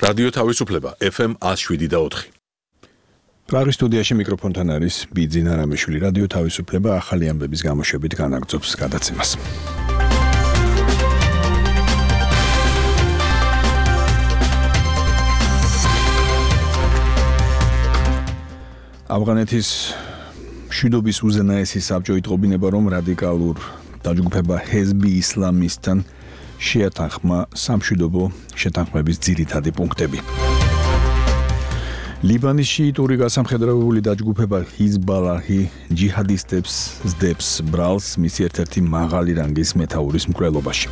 რადიო თავისუფლება FM 107.4. პრაღის სტუდიაში მიკროფონთან არის ბიძინა რამიშვილი. რადიო თავისუფლება ახალი ამბების გამოშვებით განაგრძობს გადაცემას. ავღანეთის მშვიდობის უზენაესი საბჭო იტყობინება, რომ რადიკალურ დაჯგუფება ჰეზბი ისლამისთან შეათანხმა სამშვიდობო შეთანხმების ძირითადი პუნქტები. ლიბანის შიიტური გასამხედროებული დაჯგუფება ჰიზბალაჰი ჯიჰადისტებს სდებს ბრალს მისი ერთ-ერთი მაღალი რანგის მეთაურის მკვლელობაში.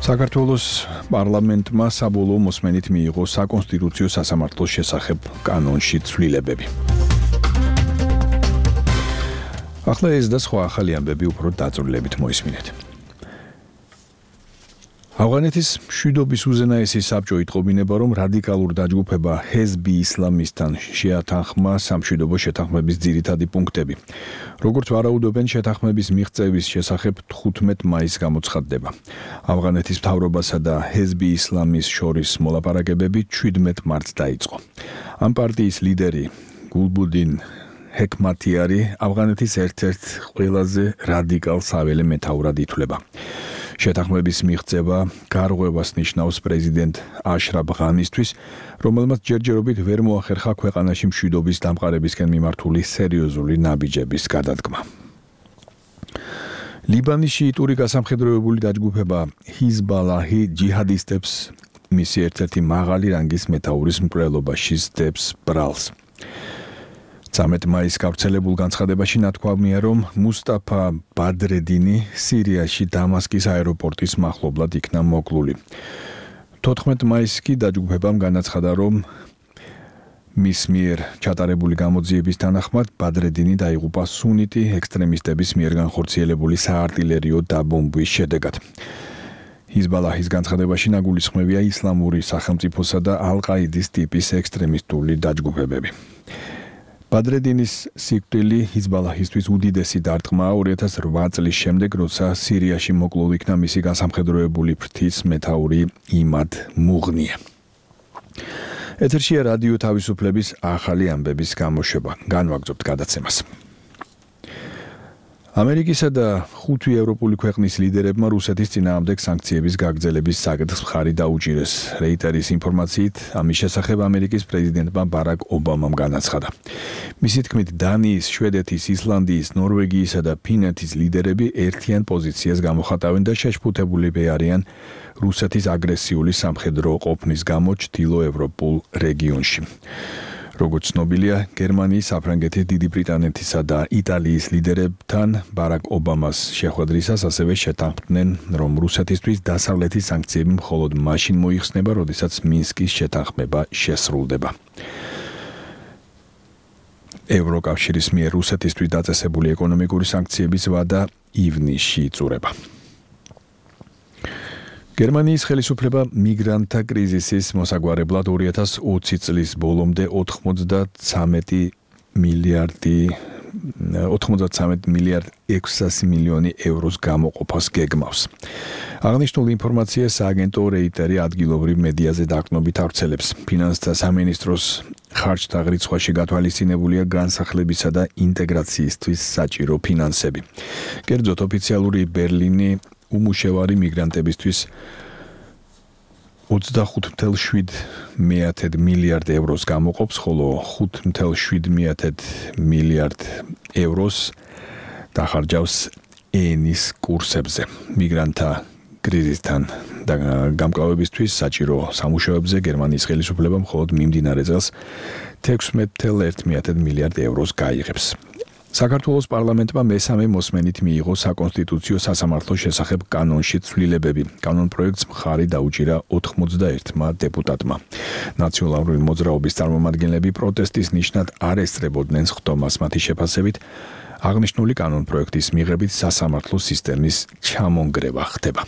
საქართველოს პარლამენტმა საბოლოო მოსმენით მიიღო საკონსტიტუციო სასამართლოს შესახებ კანონში ცვლილებები. ახლა ეს და სხვა ახალი ამბები უფრო დაწვრილებით მოისმინეთ. ავღანეთის მშვიდობის უზენაესი საბჭო იტყობინება, რომ რადიკალურ დაჯგუფება ჰეზბი ისლამისთან შეათანხმა სამშვიდობო შეთანხმების ძირითადი პუნქტები. როგორც ვარაუდობენ, შეთანხმების მიღწევის შესახებ 15 მაისს გამოცხადდება. ავღანეთის მთავრობასა და ჰეზბი ისლამის შორის მოლაპარაკებები 17 მარტს დაიწყო. ამ პარტიის ლიდერი გულბუდინ ჰეკმათიარი ავღანეთის ერთ-ერთ ყველაზე რადიკალ საველე მეთაურად ითვლება. შეთანხმების მიღწევა გარღვევას ნიშნავს პრეზიდენტ აშრაფ ღანისთვის, რომელმაც ჯერჯერობით ვერ მოახერხა ქვეყანაში მშვიდობის დამყარებისკენ მიმართული სერიოზული ნაბიჯების გადადგმა. ლიბანის შიიტური გასამხედროებული დაჯგუფება ჰიზბალაჰი ჯიჰადისტებს მისი ერთ-ერთი მაღალი რანგის მეთაურის მკვლელობაში სდებს ბრალს. 13 მაისს გავრცელებულ განცხადებაში ნათქვამია, რომ მუსტაფა ბადრედინი სირიაში დამასკის აეროპორტის მახლობლად იქნა მოკლული. 14 მაისს კი დაჯგუფებამ განაცხადა, რომ მის მიერ ჩატარებული გამოძიების თანახმად ბადრედინი დაიღუპა სუნიტი ექსტრემისტების მიერ განხორციელებული საარტილერიო დაბომბვის შედეგად. ჰიზბალაჰის განცხადებაში ნაგულისხმებია ისლამური სახელმწიფოსა და ალ-ყაიდის ტიპის ექსტრემისტული დაჯგუფებები. ბადრედინის სიკვდილი ჰიზბალაჰისთვის უდიდესი დარტყმაა 2008 წლის შემდეგ, როცა სირიაში მოკლულ იქნა მისი გასამხედროებული ფრთის მეთაური იმად მუღნია. ეთერშია რადიო თავისუფლების ახალი ამბების გამოშვება. განვაგრძობთ გადაცემას. ამერიკისა და 5 ევროპული ქვეყნის ლიდერებმა რუსეთის წინააღმდეგ სანქციების გაგრძელების საკითხს მხარი დაუჭირეს. რეიტერის ინფორმაციით, ამის შესახებ ამერიკის პრეზიდენტმა ბარაკ ობამამ განაცხადა. მისი თქმით, დანიის, შვედეთის, ისლანდიის, ნორვეგიისა და ფინეთის ლიდერები ერთიან პოზიციას გამოხატავენ და შეშფუთებულები არიან რუსეთის აგრესიული სამხედრო ყოფნის გამო ჩრდილოევროპულ რეგიონში. როგორც ცნობილია, გერმანიის, საფრანგეთის, დიდი ბრიტანეთისა და იტალიის ლიდერებთან ბარაკ ობამას შეხვედრისას ასევე შეთანხმდნენ, რომ რუსეთისთვის დასავლეთის სანქციები მხოლოდ მაშინ მოიხსნება, როდესაც მინსკის შეთანხმება შესრულდება. ევროკავშირის მიერ რუსეთისთვის დაწესებული ეკონომიკური სანქციების ვადა ივნისში იწურება. გერმანიის ხელისუფლება მიგრანტთა კრიზისის მოსაგვარებლად 2020 წლის ბოლომდე 93 მილიარდ 600 მილიონი ევროს გამოყოფას გეგმავს. აღნიშნული ინფორმაცია სააგენტო რეიტერი ადგილობრივ მედიაზე დაყრდნობით ავრცელებს. ფინანსთა სამინისტროს ხარჯთა რიცხვაში გათვალისწინებულია განსახლებისა და ინტეგრაციისთვის საჭირო ფინანსები. კერძოდ, ოფიციალური ბერლინი უმუშევარი მიგრანტებისთვის 25.7 მილიარდ ევროს გამოყოფს, ხოლო 5.7 მილიარდ ევროს დახარჯავს ენის კურსებზე. მიგრანტთა კრიზისთან გამკლავებისთვის საჭირო სამუშაოებზე გერმანიის ხელისუფლება მხოლოდ მიმდინარე წელს 16.1 მილიარდ ევროს გაიღებს. საქართველოს პარლამენტმა მესამე მოსმენით მიიღო საკონსტიტუციო სასამართლოს შესახებ კანონში ცვლილებები. კანონ პროექტს მხარი დაუჭირა 91 დეპუტატმა. ნაციონალური მოძრაობის წარმომადგენლები პროტესტის ნიშნად არ ესწრებოდნენ სხდომას. მათი შეფასებით, აღნიშნული კანონ პროექტის მიღებით სასამართლო სისტემის ჩამონგრევა ხდება.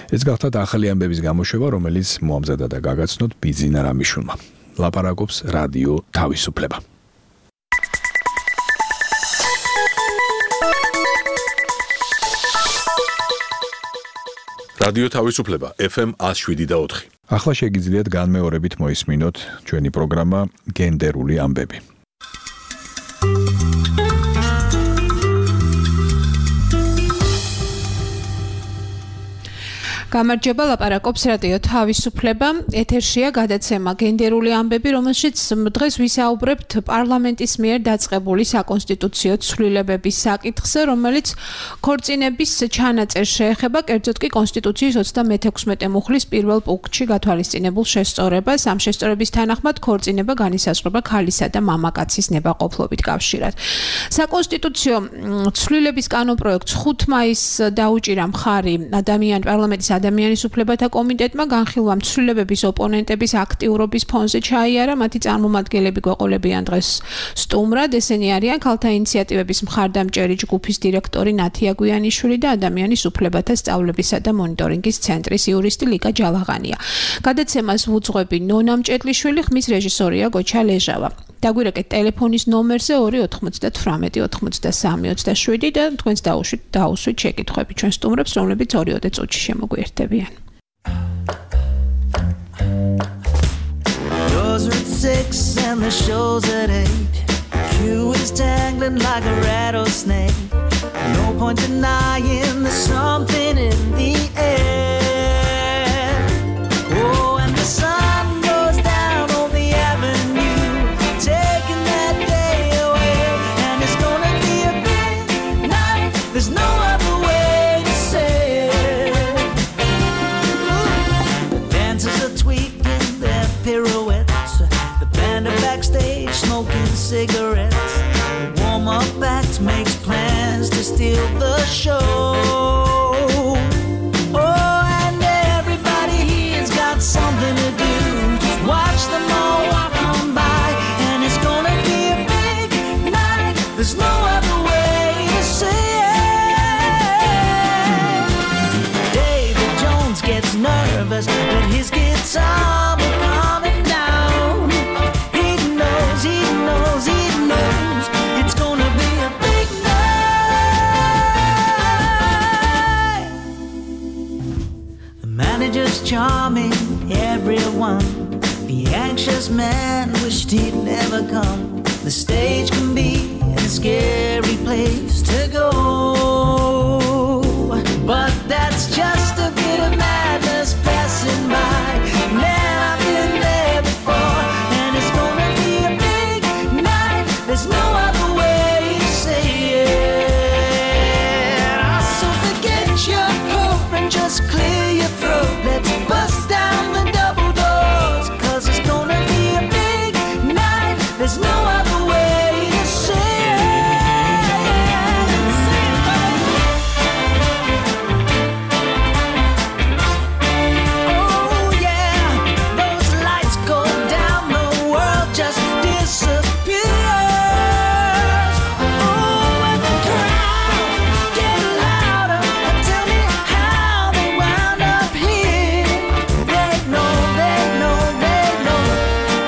ეს გახლავთ ახალი ამბების გამოშვება, რომელიც მოამზადა და გაგაცნოთ ბიძინა რამიშვილმა. ლაპარაკობს რადიო თავისუფლება. რადიო თავისუფლება FM 107.4. ახლა შეგიძლიათ განმეორებით მოისმინოთ ჩვენი პროგრამა გენდერული ამბები. გამარჯობა, ლაპარაკობს რადიო თავისუფლება. ეთერშია გადაცემა გენდერული ამბები, რომელშიც დღეს ვისაუბრებთ პარლამენტის მიერ დაწყებული საკონსტიტუციო ცვლილებების საკითხზე, რომელიც ქორწინების ჩანაწერს შეეხება, კერძოდ კი კონსტიტუციის 36 მუხლის პირველ პუნქტში გათვალისწინებულ შესწორებას. ამ შესწორების თანახმად ქორწინება განისაზღვრება ქალისა და მამაკაცის ნებაყოფლობით კავშირად. საკონსტიტუციო ცვლილების კანონპროექტს 5 მაისს დაუჭირა მხარი პარლამენტის ადამიანის უფლებათა კომიტეტმა. განხილვა ცვლილებების ოპონენტების აქტიურობის ფონზე ჩაიარა. მათი წარმომადგენლები გვეყოლებიან დღეს სტუმრად. ესენი არიან ქალთა ინიციატივების მხარდამჭერი ჯგუფის დირექტორი ნათია გვიანიშვილი და ადამიანის უფლებათა სწავლებისა და მონიტორინგის ცენტრის იურისტი ლიკა ჯალაღანია. გადაცემას ვუძღვები ნონა მჭედლიშვილი, ხმის რეჟისორია გოჩა ლეჟავა. დაგვირეკეთ ტელეფონის ნომერზე 298 83 და თქვენს დაუსვით შეკითხვები ჩვენ სტუმრებს, რომლებიც 2 წუთში შემოგვიერთებიან. Yours are at 6 and the show's at 8. Q is dangling like a rattlesnake. No point denying there's something in the air. Oh, and the sun goes down on the avenue, taking that day away. And it's gonna be a big night, there's no other way to say it. The dancers are tweaking their pirouettes, the band are backstage smoking cigarettes. The warm-up act makes plans to steal the show. Oh, and everybody here's got something to do. Just watch them all walk on by, and it's gonna be a big night, there's no other way to say it. David Jones gets nervous, but his guitar will calm him down. He knows it's gonna be a big night. The manager's charming everyone. The anxious man wished he'd never come. The stage can be a scary place to go, but that's just a bit of madness passing by. Man, I've been there before, and it's gonna be a big night, there's no other way to say it. So forget your coat and just clear your throat. Let's bust down the double doors, 'cause it's gonna be a big night, there's no other way to say it. Oh yeah, those lights go down, the world just disappears. Oh, and the crowd get louder. Tell me how they wound up here. They know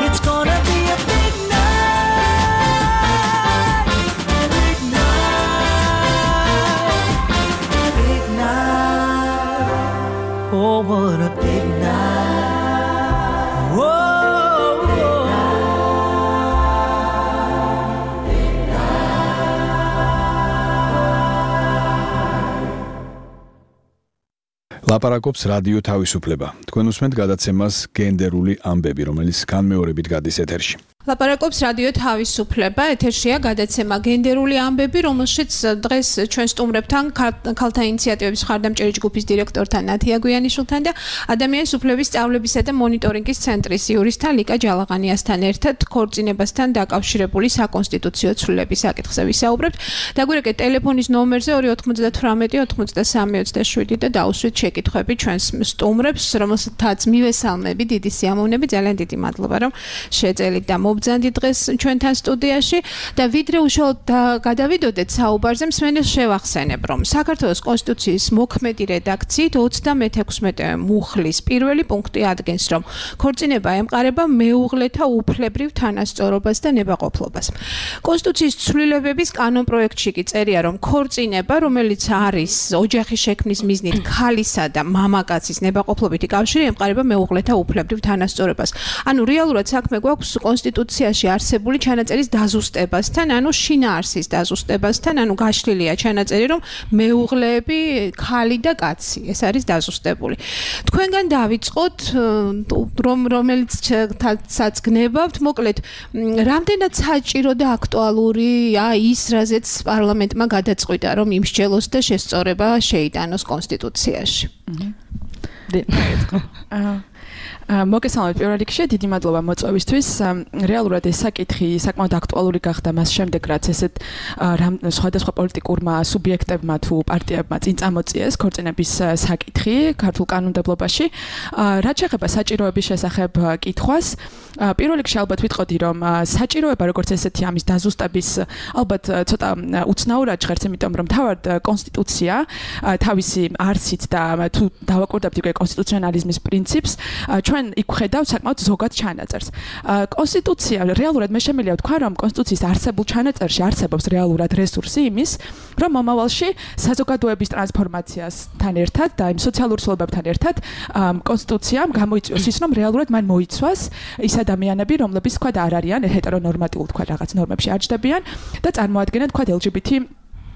it's gonna be a big night, big night, big night. Oh, what a big night. Whoa. ლაპარაკობს რადიო თავისუფლება. თქვენ უსმენთ გადაცემას გენდერული ამბები, რომელიც განმეორებით გადის ეთერში. ლაპარაკობს რადიო თავისუფლება, ეთერშია გადაცემა გენდერული ამბები, რომელშიც დღეს ჩვენ სტუმრებთან ქალთა ინიციატივების მხარდამჭერი ჯგუფის დირექტორთან ნათია გვიანიშვილთან და ადამიანის უფლებების სწავლებისა და მონიტორინგის ცენტრის იურისტთან ლიკა ჯალაღანიასთან ერთად ქორწინებასთან დაკავშირებული საკონსტიტუციო ცვლილების საკითხზე ვისაუბრებთ. დაგვირეკეთ ტელეფონის ნომერზე 298 83 27 და დაუსვით შეკითხვები ჩვენს სტუმრებს, რომელთაც მივესალმები, დიდი სიამოვნებით, ძალიან დიდი მადლობა, რომ შეეწელით და მოგბრძანდი დღეს ჩვენთან სტუდიაში და ვიდრე უშუალოდ გადავიდოდეთ საუბარზე, მსმენელს შევახსენებ, რომ საქართველოს კონსტიტუციის მოქმედი რედაქციით 36 მუხლის პირველი პუნქტი ადგენს, რომ ქორწინება ემყარება მეუღლეთა უფლებრივ თანასწორობას და ნებაყოფლობას. კონსტიტუციის ცვლილებების კანონპროექტში კი წერია, რომ ქორწინება, რომელიც არის ოჯახის შექმნის მიზნით ქალისა და მამაკაცის ნებაყოფლობითი კავშირი, ემყარება მეუღლეთა უფლებრივ თანასწორობას. ანუ რეალურად საქმე გვაქვს კონსტიტუციაში არსებული ჩანაწერის დაზუსტებასთან, ანუ შინაარსის დაზუსტებასთან, ანუ გაშლილია ჩანაწერი, რომ მეუღლეები ქალი და კაცი, ეს არის დაზუსტებული. თქვენგან დავიწყოთ, რომელიცაც გნებავთ, მოკლედ, რამდენად საჭირო და აქტუალურია ის, რაზეც პარლამენტმა გადაწყვიტა, რომ იმსჯელოს და შესწორება შეიტანოს კონსტიტუციაში. მოგესალმებით პირველ რიგში, დიდი მადლობა მოწვევისთვის. რეალურად ეს საკითხი საკმაოდ აქტუალური გახდა მას შემდეგ, რაც ესეთ სხვადასხვა პოლიტიკურმა სუბიექტებმა თუ პარტიებმა წინ წამოწიეს ქორწინების საკითხი ქართულ კანონმდებლობაში. რაც შეეხება საჭიროების შესახებ კითხვას, პირველ რიგში ალბათ ვიტყოდი, რომ საჭიროება როგორც ესეთი ამის დაზუსტების ალბათ ცოტა უცნაურად ჟღერს, იმიტომ რომ თავად კონსტიტუცია თავისი არსით და თუ დავაკვირდებთ უკვე კონსტიტუციონალიზმის პრინციპს, ჩვენ იქ ხედავთ საკმაოდ ზოგად ჩანაწერს. კონსტიტუცია რეალურად მე შემიძლია ვთქვა, რომ კონსტიტუციის არსებულ ჩანაწერში არსებობს რეალურად რესურსი იმის, რომ მომავალში საზოგადოების ტრანსფორმაციასთან ერთად და იმ სოციალურ ცვლილებებთან ერთად კონსტიტუციამ გამოიწვიოს ის, რომ რეალურად მან მოიცვას ის ადამიანები, რომლებიც თქვა არ არიან ჰეტერონორმატიულ თქვა რაღაც ნორმებში აჯდებიან და წარმოადგენენ თქვა LGBT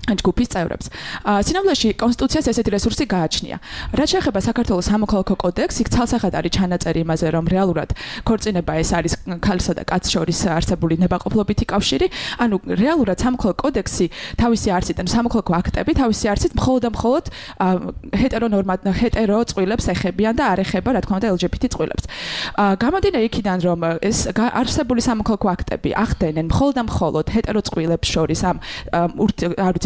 ჯგუფის წევრებს. სინამდვილეში კონსტიტუციას ესეთი რესურსი გააჩნია. რაც შეეხება საქართველოს სამოქალაქო კოდექსს, იქ ცალსახად არის ჩანაწერი იმაზე, რომ რეალურად ქორწინება ეს არის ქალსა და კაცს შორის არსებული ნებაყოფლობითი კავშირი. ანუ რეალურად სამოქალაქო კოდექსი თავისი არსით, ანუ სამოქალაქო აქტები თავისი არსით მხოლოდ და მხოლოდ ჰეტერო წყვილებს ეხებიან და არ ეხება, რა თქმა უნდა, LGBT წყვილებს. გამომდინარე იქიდან, რომ ეს არსებული სამოქალაქო აქტები ახდენენ მხოლოდ და მხოლოდ ჰეტერო წყვილებს შორის ამ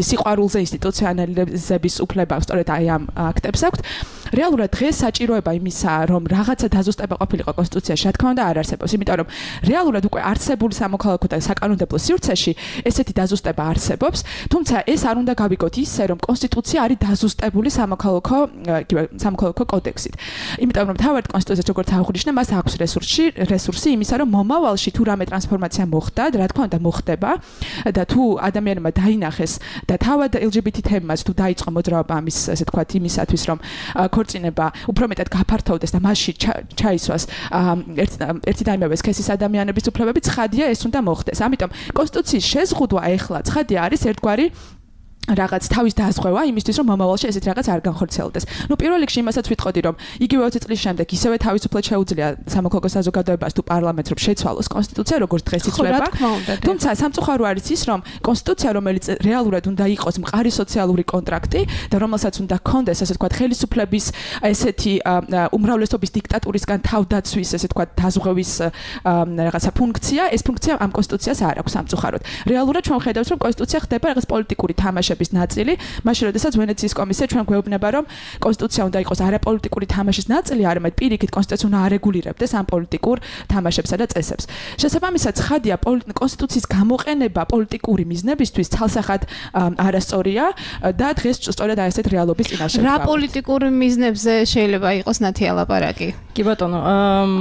სიყვარულზე ინსტიტუციონალიზების უფლება სწორედ აი ამ აქტებს აქვთ. რეალურად დღეს საჭიროება იმისა, რომ რაღაცა დაზუსტება ყოფილიყო კონსტიტუციაში, რა თქმა უნდა არ არსებობს, იმიტომ რომ რეალურად უკვე არსებული სამოქალაქო და საკანონმდებლო სივრცეში ესეთი დაზუსტება არსებობს, თუმცა ეს არ უნდა გავიგოთ ისე, რომ კონსტიტუცია არის დაზუსტებული სამოქალაქო კოდექსით. იმიტომ რომ თავად კონსტიტუციაში როგორც აღნიშნე, მას აქვს რესურსი იმისა, რომ მომავალში თუ რამე ტრანსფორმაცია მოხდა, რა თქმა უნდა მოხდება და თუ ადამიანმა დაინახეს და თავად LGBT თემას თუ დაიწყო მოძრაობა ამის ესე თქვათ იმისათვის, რომ ქორწინება უფრო მეტად გაფართოვდეს და მასში ჩაისვას ერთი და იმავე სქესის ადამიანების უფლებები, ცხადია ეს უნდა მოხდეს. ამიტომ კონსტიტუციის შეზღუდვა ეხლა ცხადია არის ერთგვარი რაღაც თავის დაზღვევა იმისთვის, რომ მომავალში ესეთ რაღაც არ განხორციელდეს. პირველ რიგში იმასაც ვიტყოდი, რომ იგივე 20 წლის შემდეგ ისევე თავისუფლად შეუძლია სამოქალაქო საზოგადოებას თუ პარლამენტს რომ შეცვალოს კონსტიტუცია, როგორც დღეს იცვლება. თუმცა სამწუხარო არის ის, რომ კონსტიტუცია, რომელიც რეალურად უნდა იყოს მყარი სოციალური კონტრაქტი და რომელსაც უნდა ჰქონდეს, ასე ვთქვათ, ხელისუფლების ესეთი უმრავლესობის დიქტატურისგან თავდაცვის, ესე ვთქვათ, დაზღვევის რაღაცა ფუნქცია, ეს ფუნქცია ამ კონსტიტუციას არ აქვს სამწუხაროდ. რეალურად ჩვენ ხედავთ, რომ კონსტიტუცია ხდება რაღაც პოლიტიკური თამაშები ნაწილი, მაშინ როდესაც ვენეციის კომისია ჩვენ გვეუბნება, რომ კონსტიტუცია უნდა იყოს არაპოლიტიკური თამაშის ნაწილი, არამედ პირიქით კონსტიტუცია უნდა არეგულირებდეს ამ პოლიტიკურ თამაშებსა და წესებს. შესაბამისად, ცხადია კონსტიტუციის გამოყენება პოლიტიკური მიზნებისთვის ცალსახად არასწორია და დღეს სწორედ აი ესეთ რეალობის წინაშე. რა პოლიტიკური მიზნებზე შეიძლება იყოს ნათი ალაპარაკი? კი ბატონო,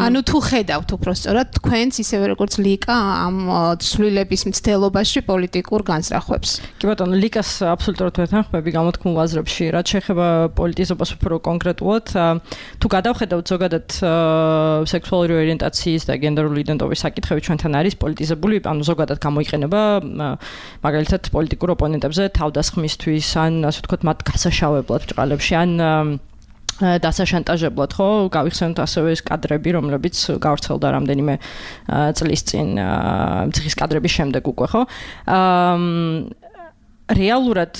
ანუ თუ ხედავთ უბრალოდ თქვენს ისევე როგორც ლიკა ამ ცვლილების მცდელობაში პოლიტიკურ განსხვავებს. კი ბატონო, ლიკას აბსოლუტურად ვეთანხმები გამოთქმულ აზრებში, რაც შეეხება პოლიტიზებას უფრო კონკრეტულად, თუ გადავხედავთ ზოგადად სექსუალური ორიენტაციის და გენდერული იდენტობის საკითხები ჩვენთან არის პოლიტიზებული, ანუ ზოგადად გამოიყენება მაგალითად პოლიტიკურ ოპონენტებზე თავდასხმისთვის, ან ასე ვთქვათ, მათ გასაშავებლად ბრალებში, ან დასაშანტაჟებლად, ხო, გავიხსენოთ ასევე ეს კადრები, რომლებიც გავრცელდა რამდენიმე წლის წინ, ციხის კადრების შემდეგ უკვე, ხო? რეალურად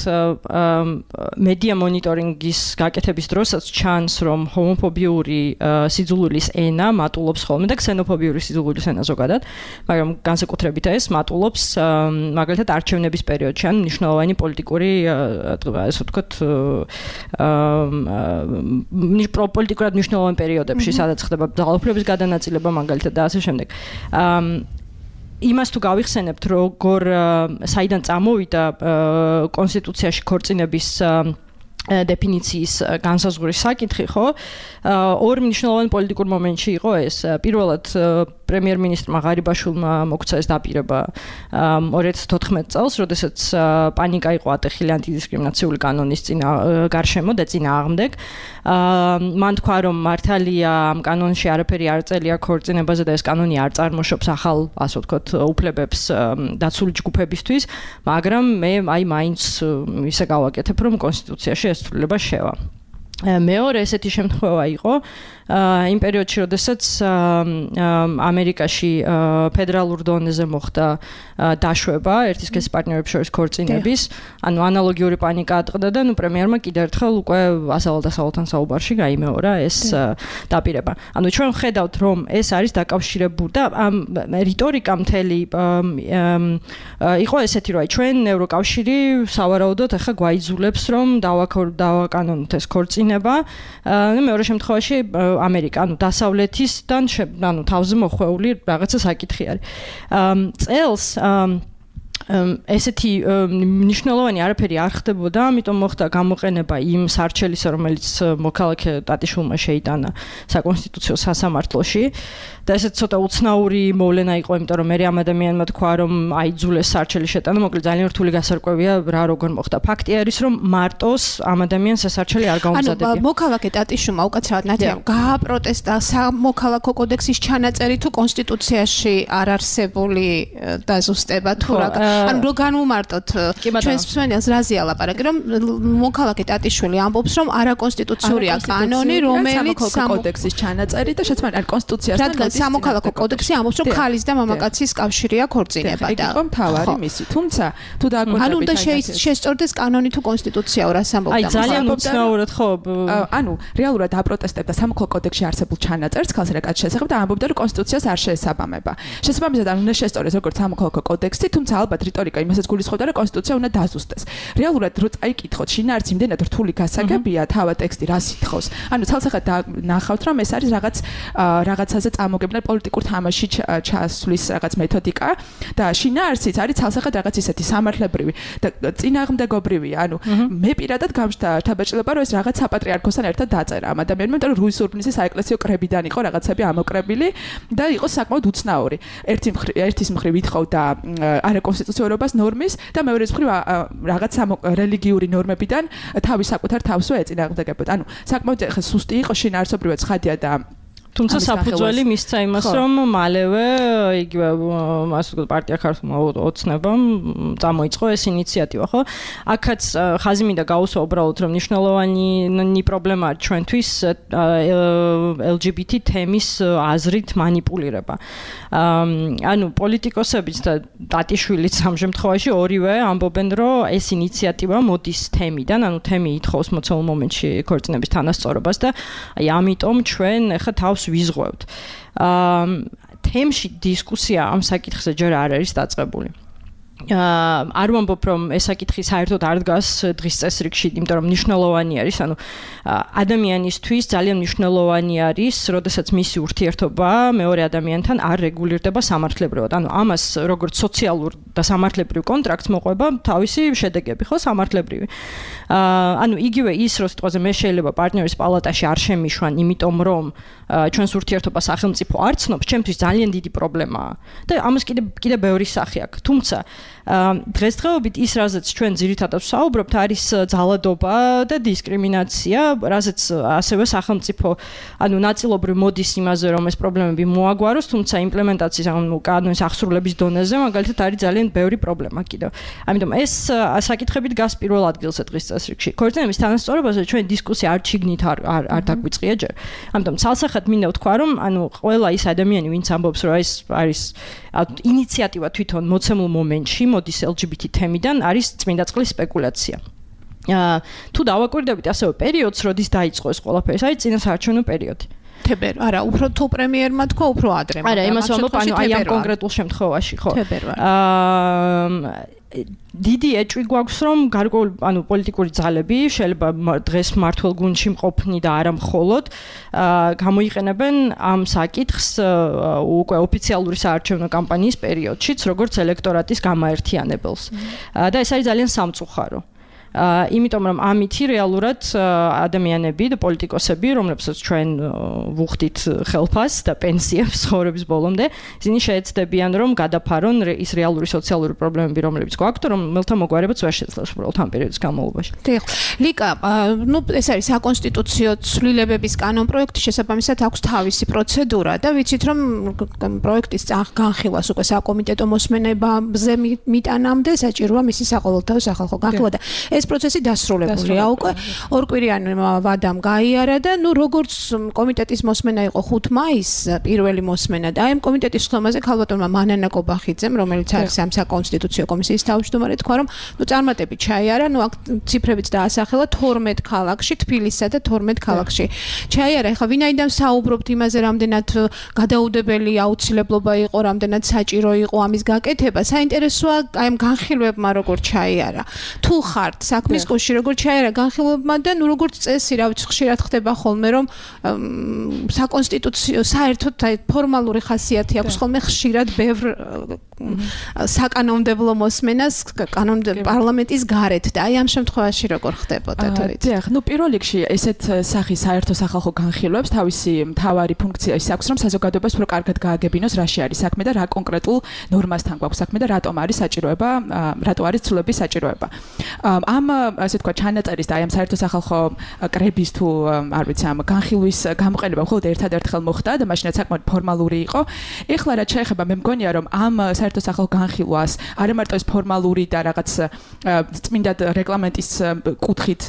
მედია მონიტორინგის გაკეთების დროსაც ჩანს, რომ ჰომოფობიური სიძულვილის ენა მატულობს ხოლმე და ქსენოფობიური სიძულვილის ენა ზოგადად, მაგრამ განსაკუთრებით ეს მატულობს მაგალითად არჩევნების პერიოდში, ან მნიშვნელოვანი პოლიტიკური, ასე ვთქვათ, პოლიტიკურად მნიშვნელოვან პერიოდებში, სადაც ხდება ძალაუფლების გადანაწილება მაგალითად და ასე შემდეგ. იმას თუ გავიხსენებთ, როგორ საიდან წამოვიდა კონსტიტუციაში ქორწინების დეფინიციის განსაზღვრის საკითხი, ხო? ორ მნიშვნელოვან პოლიტიკურ მომენტში იყო ეს. პირველად პრემიერ-მინისტრმა ღარიბაშვილმა მოგვცა ეს დაპირება 2014 წელს, როდესაც პანიკა იყო ატეხილი ანტიდისკრიმინაციული კანონის გარშემო და წინააღმდეგ. მან თქვა, რომ მართალია ამ კანონში არაფერი არ წერია ქორწინებაზე და ეს კანონი არ წარმოშობს ახალ, ასე ვთქვათ, უფლებებს დაცული ჯგუფებისთვის, მაგრამ მე მაინც ისე გავაკეთებ, რომ კონსტიტუციაში ეს ცვლილება შევა. მეორე ესეთი შემთხვევა იყო იმ პერიოდში, როდესაც ამერიკაში ფედერალურ დონეზე მოხდა დაშვება ერთის სქესის პარტნიორებს შორის ქორწინების, ანუ ანალოგიური პანიკა ატყდა და პრემიერმა კიდევ ერთხელ უკვე ასალ-დასალთან საუბარში გაიმეორა ეს დაპირება. ანუ ჩვენ ვხედავთ, რომ ეს არის დაკავშირებული და ამ რიტორიკა მთელი იყო ესეთი, რომ ჩვენ ევროკავშირი სავარაუდოდ ახლა გვაიძულებს, რომ დავაკანონოთ ეს ქორწინება. მეორე შემთხვევაში ამერიკა, ანუ დასავლეთისთან, ანუ თავზე მოხვეული რაღაცა საკითხი არის. წელს ესეთი მნიშვნელოვანი არაფერი არ ხდებოდა, ამიტომ მოხდა გამოყენება იმ სარჩელისა, რომელიც მოქალაქე ტატიშვილმა შეიტანა საკონსტიტუციო სასამართლოში. და ესეც ცოტა უცნაური მოვლენა იყო, იმიტომ რომ მე ამ ადამიანმა თქვა, რომ აიძულეს სარჩელი შეტანა, მოკლედ ძალიან რთული გასარკვევია რა როგორ მოხდა. ფაქტი არის, რომ მარტოს ამ ადამიანს ეს სარჩელი არ გაუმზადებია. ანუ მოქალაქე ტატიშვილმა უკაცრავად ნათიამ გააპროტესტა სამოქალაქო კოდექსის ჩანაწერი თუ კონსტიტუციაში არ არსებული დაზუსტება თუ რა. ანუ რო განვუმარტოთ ჩვენს მსმენელს რაზე ალაპარაკი, რომ მოქალაქე ტატიშვილი ამბობს, რომ არაკონსტიტუციურია კანონი, რომელიც კოდექსის ჩანაწერი და შეცვალა არ კონსტიტუციასთან სამოქალაქო კოდექსი ამბობს, რომ ხალის და მამაკაცის კავშირია ქორწინება და იყო მთავარი მისი. თუმცა თუ დააკვირდებით, ანუ უნდა შესწორდეს კანონი თუ კონსტიტუცია რას ამბობდა. აი ძალიან უცნაურად ხო. ანუ რეალურად აპროტესტებდა სამოქალაქო კოდექსში არსებულ ჩანაწერს ხალხს რაკაც შესახებ და ამბობდა, რომ კონსტიტუციას არ შეესაბამება. შესაბამისად არ უნდა შესწორდეს როგორც სამოქალაქო კოდექსი, თუმცა ალბათ რიტორიკა იმასაც გულისხმობდა, რომ კონსტიტუცია უნდა დაზუსტდეს. რეალურად რო წაიკითხოთ, შინაარსი იმდენად რთული გასაგებია, თავა ტექსტი რას ითხოვს. ანუ ცალსახად ნახავთ, რომ ეს არის რაღაცაზე წამოგებნა პოლიტიკურ თამაში ჩასვლის რაღაც მეთოდიკა და შინაარსიც არის ცალსახად რაღაც ისეთი სამართლებრივი და წინააღმდეგობრივი. ანუ მე პირადად გამშთა თაბაჭლება, რომ ეს რაღაც საპატრიარქოსთან ერთად დაწერა ამ ადამიანმა, იმიტომ რომ რუის ურბნისის საეკლესიო კრებიდან იყო რაღაცები ამოკრებილი და იყო საკმაოდ უცნაური. ერთის მხრივ ითხოვდა არაკონსტიტუციურობას ნორმის და მეორეს მხრივ რაღაც რელიგიური ნორმებიდან თავის საკუთარ თავსვე ეწინააღმდეგებოდა. ანუ საკმაოდ სუსტი იყო შინაარსობრივად ცხადია და თუმცა საფუძველი მისცა იმას, რომ მალევე იგივე ასე ვთქვათ პარტია ქართულმა ოცნებამ წამოიწყო ეს ინიციატივა, ხო? აქაც ხაზი მინდა გაუსვა უბრალოდ, რომ მნიშვნელოვანი პრობლემაა ჩვენთვის LGBT თემის აზრით манипуლირება. ანუ პოლიტიკოსებიც და ტატიშვილიც ამ შემთხვევაში ორივე ამბობენ, რომ ეს ინიციატივა მოდის თემიდან, ანუ თემი ითხოვს მოცემულ მომენტში ქორწინების თანასწორობას და აი ამიტომ ჩვენ ახლა თავს ვიზღვევთ. თემში დისკუსია ამ საკითხზე ჯერ არ არის დაწყებული. არ ვამბობ, რომ ეს საკითხი საერთოდ არ დგას დღის წესრიგში, იმიტომ რომ მნიშვნელოვანი არის, ანუ ადამიანისთვის ძალიან მნიშვნელოვანი არის, როდესაც მისი ურთიერთობა მეორე ადამიანთან არ რეგულირდება სამართლებრივად. ანუ ამას როგორც სოციალურ და სამართლებრივ კონტრაქტს მოყვება თავისი შედეგები, ხო, სამართლებრივი. ანუ იგივე ის, რომ სიტყვაზე მე შეიძლება პარტნიორის პალატაში არ შემიშვან, იმიტომ რომ ჩვენს ურთიერთობას სახელმწიფო არ ცნობს, ჩემთვის ძალიან დიდი პრობლემაა. და ამას კიდე ბევრი სახე აქვს. თუმცა დღესდღეობით ის, რაზეც ჩვენ ძირითადად ვსაუბრობთ, არის ძალადობა და დისკრიმინაცია, რაზეც ასევე სახელმწიფო, ანუ ნაწილობრივ მოდის იმაზე, რომ ეს პრობლემები მოაგვაროს, თუმცა იმპლემენტაციის, ანუ კანონის აღსრულების დონეზე, მაგალითად, არის ძალიან ბევრი პრობლემა კიდევ. ამიტომ ეს საკითხები დგას პირველ ადგილზე დღის წესრიგში. ქორწინების თანასწორობაზე ჩვენ დისკუსია არ ჩიგნით არ დაგვიწყია ჯერ. ამიტომ ცალსახად მინდა ვთქვა, რომ ანუ ყველა ის ადამიანი, ვინც ამბობს, რომ ეს არის ინიციატივა თვითონ მოცემულ მომენტში მოდის LGBT თემიდან, არის წმინდა წყლის სპეკულაცია. თუ დავაკვირდებით ასევე პერიოდს, როდის დაიწყო ეს ყველაფერი, ეს არის წინასაარჩევნო პერიოდი. თებერვალი. არა, უფრო თუ პრემიერმა თქვა, უფრო ადრე. არა, იმას ვამბობ, ანუ აი ამ კონკრეტულ შემთხვევაში, ხო. დიდი ეჭვი გვაქვს რომ გარკვეული პოლიტიკური ძალები შეიძლება დღეს მართლ გუნდში მყოფნი და არა მხოლოდ გამოიყენებენ ამ საკითხს უკვე ოფიციალური საარჩევნო კამპანიის პერიოდშიც როგორც ელექტორატის გამაერთიანებელს და ეს არის ძალიან სამწუხარო იმიტომ რომ ამითი რეალურად ადამიანები და პოლიტიკოსები რომლებსაც ჩვენ ვუხდით ხელფას და პენსიებს ცხოვრების ბოლომდე ისინი შეეცდებიან რომ გადაფარონ ის რეალური სოციალური პრობლემები რომლებიც გვაქვთ რომელთა მოგვარებაც ვერ შეძლებს უბრალოდ ამ პერიოდის განმავლობაში. დიახ. ლიკა, ეს არის საკონსტიტუციო ცვლილებების კანონპროექტი შესაბამისად აქვს თავისი პროცედურა და ვიცით რომ პროექტის განხილვას უკვე საკომიტეტო მოსმენებზე მიტანამდე საჭიროა მისი საყოველთაო სახალხო განხილვა და ეს პროცესი დასრულებულია უკვე ორკვირიანი ვადამ გაიარა და როგორც კომიტეტის მოსმენა იყო 5 მაისს პირველი მოსმენა და აი ამ კომიტეტის ხომაზე ქალბატონმა მანანა კობახიძემ რომელიც არის ამ საკონსტიტუციო კომისიის თავმჯდომარე თქვა რომ წარმატებით ჩაიარა აქ ციფრებიც დაასახელა 12 ქალაქში თბილისსა და 12 ქალაქში ჩაიარა ეხლა ვინაიდან საუბრობთ იმაზე რამდენად გადაუდებელი აუცილებლობა იყო რამდენად საჭირო იყო ამის გაკეთება საინტერესოა აი ამ განხილვებმა როგორ ჩაიარა თუ ხართ საქმის კუში როგორ ჩაერა განხილვებმა და როგორც წესი რა ვიცი ხშირად ხდება ხოლმე რომ საკონსტიტუციო საერთოდ ფორმალური ხასიათი აქვს ხოლმე ხშირად ბევრ საკანონმდებლო მოსმენას პარლამენტის გარეთ და აი ამ შემთხვევაში როგორ ხდებოდა თუ ვიცი. დიახ, პირველ რიგში ესეთ სახის საერთო სახალხო განხილვებს თავისი მთავარი ფუნქცია ის აქვს რომ საზოგადოებას უფრო კარგად გააგებინოს რაში არის საქმე და რა კონკრეტულ ნორმასთან გვაქვს საქმე და რატომ არის საჭიროება, რატო არის ცვლილების საჭიროება. ამ ასე თქვა ჩანაწერის და აი ამ საერთო სახალხო კრების თუ არ ვიცი ამ განხილვის გამოყენება მხოლოდ ერთადერთხელ მოხდა და მაშინაც საკმაოდ ფორმალური იყო. ეხლა რაც შეეხება მე მგონია რომ ამ საერთო სახალხო განხილვას არა მარტო ეს ფორმალური და რაღაც წმინდად რეგლამენტის კუთხით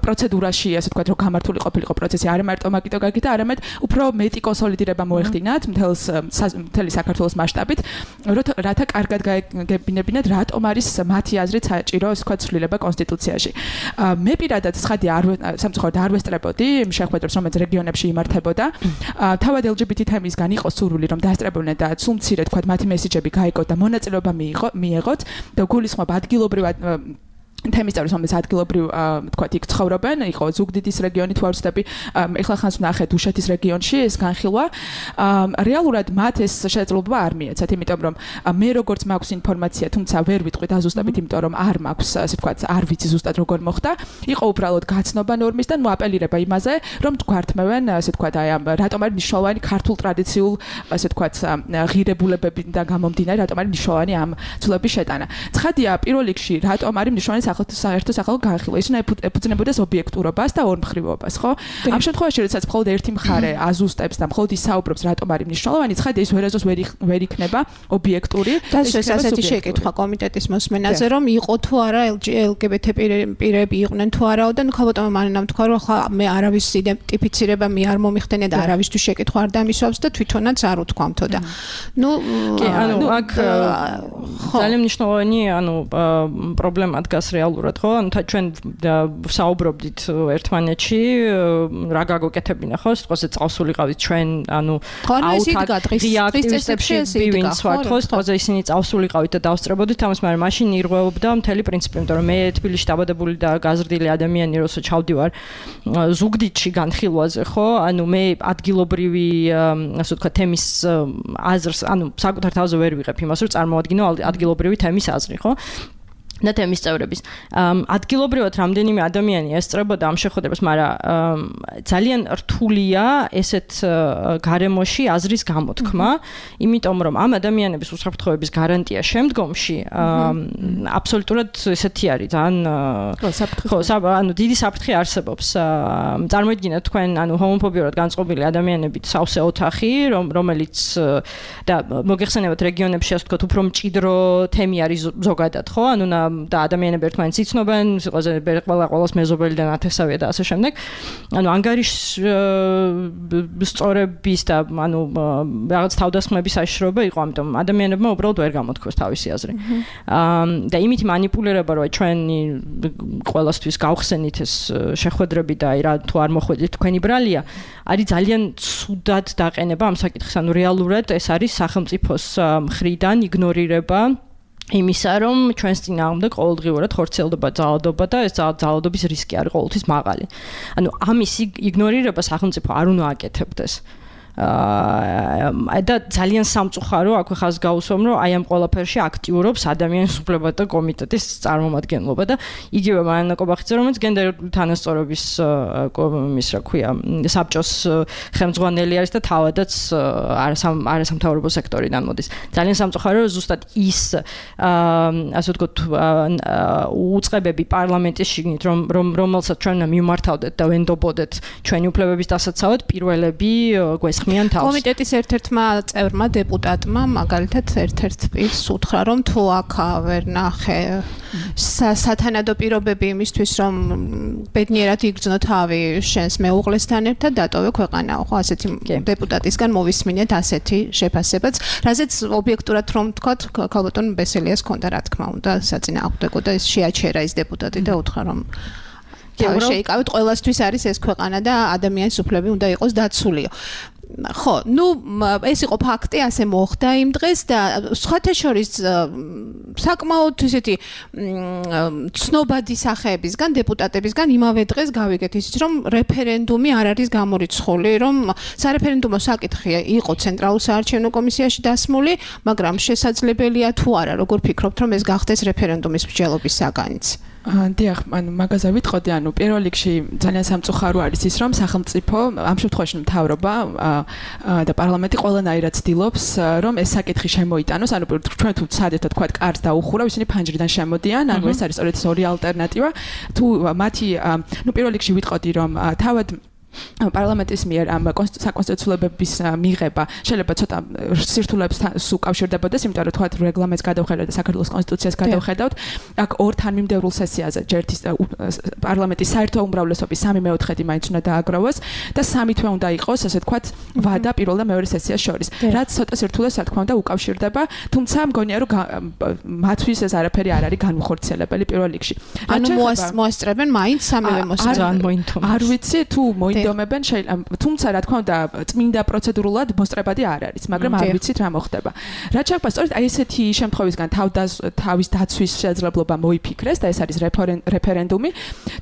პროცედურაში ასე თქვა რომ გამართული ყოფილიყო პროცესი არა მარტო მაგიტო გაკეთა არამედ უფრო მეტი კონსოლიდირება მოეხდინათ მთელი საქართველოს მასშტაბით რათა კარგად გაეგებინებინათ რატომ არის მათი აზრით საჭირო ასე თქვა ცვლილება კონსტიტუციაში. მე პირადად ცხადი სამწუხაროდ არ ვესწრებოდი იმ შეხვედრებს რომელიც რეგიონებში იმართებოდა. თავად LGBT თემისგან იყო სურვილი რომ დაასწრებოდნენ და სულ მცირე თქვა მათი მესიჯები გაიგოთ და მონაწილეობა მიიღოთ და გულისხმობა ადგილობრივად თემის წევრებს რომელიც ადგილობრივ თქვათ იქ ცხოვრობენ იყო ზუგდიდის რეგიონი თუ არ ვცდები ეხლა ხანს ვნახე დუშეთის რეგიონში ეს განხილვა რეალურად მათ ეს შესაძლებლობა არ მიეცათ იმიტომ რომ მე როგორც მაქვს ინფორმაცია თუმცა ვერ ვიტყვი დაზუსტებით იმიტომ რომ არ მაქვს ასე თქვათ არ ვიცი ზუსტად როგორ მოხდა იყო უბრალოდ გაცნობა ნორმისგან მოაპელირება იმაზე რომ თქვართმევენ ასე თქვათ აი ამ რატომ არის მნიშვნელოვანი ქართულ ტრადიციულ ასე თქვათ ღირებულებებიდან გამომდინარე რატომ არის მნიშვნელოვანი ამ ცვლილების შეტანა ცხადია პირველ რიგში რატომ არის მნიშვნელოვანი საერთო სახალხო განხილვა ის უნდა ეფუძნებოდეს ობიექტურობას და ორმხრივობას ხო ამ შემთხვევაში როდესაც მხოლოდ ერთი მხარე აზუსტებს და მხოლოდ ის საუბრობს რატომ არის მნიშვნელოვანი ცხადია ის ვერაზოს ვერ იქნება ობიექტური და ეს ასეთი შეკითხვა კომიტეტის მოსმენაზე რომ იყო თუ არა LGBT პირები იყვნენ თუ არაო და ქალბატონმა მანამ თქვა რომ ხა მე არავის იდენტიფიცირება მე არ მომიხდენია და არავისთვის შეკითხვა არ დამისვავს და თვითონაც არ უთქვამთო და აქ ძალიან მნიშვნელოვანი პრობლემა დგას რეალურად ხო? ჩვენ საუბრობდით ერთმანეთში რა გაგოკეთებინა ხო? სიტყვაზე წავსულიყავით ჩვენ აქტივისტებში ვინც ვართ ხო? სიტყვაზე ისინი წავსულიყავით და დავსწრებოდით ამას, მაგრამ მაშინ ირღვეობდა მთელი პრინციპი, იმიტომ რომ მე თბილისში დაბადებული და გაზრდილი ადამიანი როცა ჩავდივარ ზუგდიდში განხილვაზე ხო? მე ადგილობრივი ასე ვთქვათ თემის აზრს საკუთარ თავზე ვერ ვიღებ იმას რომ წარმოადგინო ადგილობრივი თემის აზრი ხო? და თემის წევრების ადგილობრივად რამდენიმე ადამიანი ესწრებოდა ამ შეხვედრებას, მაგრამ ძალიან რთულია ესეთ გარემოში აზრის გამოთქმა, იმიტომ რომ ამ ადამიანების უსაფრთხოების გარანტია შემდგომში აბსოლუტურად ესეთი არის, ძალიან დიდი საფრთხე არსებობს. წარმოიდგინეთ თქვენ ჰომოფობიურად განწყობილი ადამიანებით სავსე ოთახი, რომელიც და მოგეხსენებათ რეგიონებში ასე ვთქვათ, უფრო მჭიდრო თემი არის ზოგადად, ხო? და ადამიანები ერთმანეთს იცნობენ, სიტყვაზე ყველას მეზობელი და ნათესავია და ასე შემდეგ. ანგარიშ სწორების და რაღაც თავდასხმების საშიშროება იყო, ამიტომ ადამიანებმა უბრალოდ ვერ გამოთქვეს თავისი აზრი. და იმით манипуლირება, რომ ჩვენი ყველასთვის გავხსენით ეს შეხვედრები და აი რა თუ არ მოხვედით თქვენი ბრალია, არის ძალიან ცუდად დაყენება ამ საკითხის. რეალურად ეს არის სახელმწიფოს მხრიდან იგნორირება იმისა, რომ ჩვენს წინააღმდეგ ყოველდღიურად ხორციელდება ძალადობა და ეს ძალადობის რისკი არის ყოველთვის მაღალი. ანუ ამის იგნორირება სახელმწიფო არ უნდა აკეთებდეს. და ძალიან სამწუხარო აქვე ხაზს გავუსვამ, რომ აი ამ ყველაფერში აქტიურობს ადამიანის უფლებათა კომიტეტის წარმომადგენლობა და იგივე მარინა კობახიძე, რომელიც გენდერული თანასწორობის იმის რა ქვია, საბჭოს ხელმძღვანელი არის და თავადაც არასამთავრობო სექტორიდან მოდის. ძალიან სამწუხარო, რომ ზუსტად ის ასე ვთქვათ უწყებები პარლამენტის შიგნით, რომელსაც ჩვენ მიმართავდეთ და ვენდობოდეთ ჩვენი უფლებების დასაცავად, პირველები გვესხმიან კომიტეტის ერთ-ერთმა წევრმა დეპუტატმა მაგალითად ერთ-ერთ პირს უთხრა, რომ თუ აქ ვერ ნახე სათანადო პირობები იმისთვის, რომ ბედნიერად იგრძნო თავი შენს მეუღლესთან ერთად, დატოვე ქვეყანაო. ხო, ასეთი დეპუტატისგან მოვისმინეთ ასეთი შეფასებაც, რაზეც ობიექტურად რომ ვთქვათ, ქალბატონ ბესელიას ჰქონდა რა თქმა უნდა საწინააღმდეგო და ის შეაჩერა ის დეპუტატი და უთხრა, რომ შეიკავეთ, ყველასთვის არის ეს ქვეყანა და ადამიანის უფლები უნდა იყოს დაცულიო. ხო, ნუ ეს იყო ფაქტი, ასე მოხდა იმ დღეს და სხვათა შორის საკმაოდ ისეთი ცნობადი სახეებისგან, დეპუტატებისგან იმავე დღეს გავიგეთ ისიც, რომ რეფერენდუმი არ არის გამორიცხული, რომ სარეფერენდუმო საკითხი იყო ცენტრალურ საარჩევნო კომისიაში დასმული, მაგრამ შესაძლებელია თუ არა, როგორ ფიქრობთ, რომ ეს გახდეს რეფერენდუმის მსჯელობის საგანიც? დიახ, ანუ მაგაზე ვიტყოდი, ანუ პირველ რიგში ძალიან სამწუხარო არის ის, რომ სახელმწიფო, ამ შემთხვევაში მთავრობა და პარლამენტი ყველანაირად ცდილობს, რომ ეს საკითხი შემოიტანოს, ანუ ჩვენ თუ ცადეთ თქვა კარს დაუხურავ, ისინი ფანჯრიდან შემოდიან, ანუ ეს არის სწორედ ორი ალტერნატივა. თუ მათი, ნუ პირველ რიგში ვიტყოდი, რომ თავად პარლამენტის მიერ ამ საკონსტიტუციოლებების მიღება შეიძლება ცოტა სირთულეებს უკავშირდებოდეს, იმიტომ რომ თქვა რეგლამენტს გადავხედავთ და საქართველოს კონსტიტუციას გადავხედავთ, აქ ორ თანმიმდევრულ სესიაზე ჯერთის პარლამენტის საერთო უმრავლესობის 3/4 მაინც უნდა დააგროვოს და 3 თვე უნდა იყოს, ასე თქვა, ვადა პირველ და მეორე სესიას შორის. რაც ცოტა სირთულეს რა თქმა უნდა უკავშირდება, თუმცა მგონია რომ მათთვის ეს არაფერი არ არის განუხორციელებელი პირველ რიგში. ანუ მოასწრებენ მაინც სამივე მოსწრებენ. არ ვიცი თუ ინდომებენ შეიძლება, თუმცა რა თქმა უნდა წმინდა პროცედურულად მოსწრებადი არ არის, მაგრამ არ ვიცით რა მოხდება. რაც შეგვიძლია სწორედ აი ესეთი შემთხვევისგან თავის დაცვის შესაძლებლობა მოიფიქრეს და ეს არის რეფერენდუმი.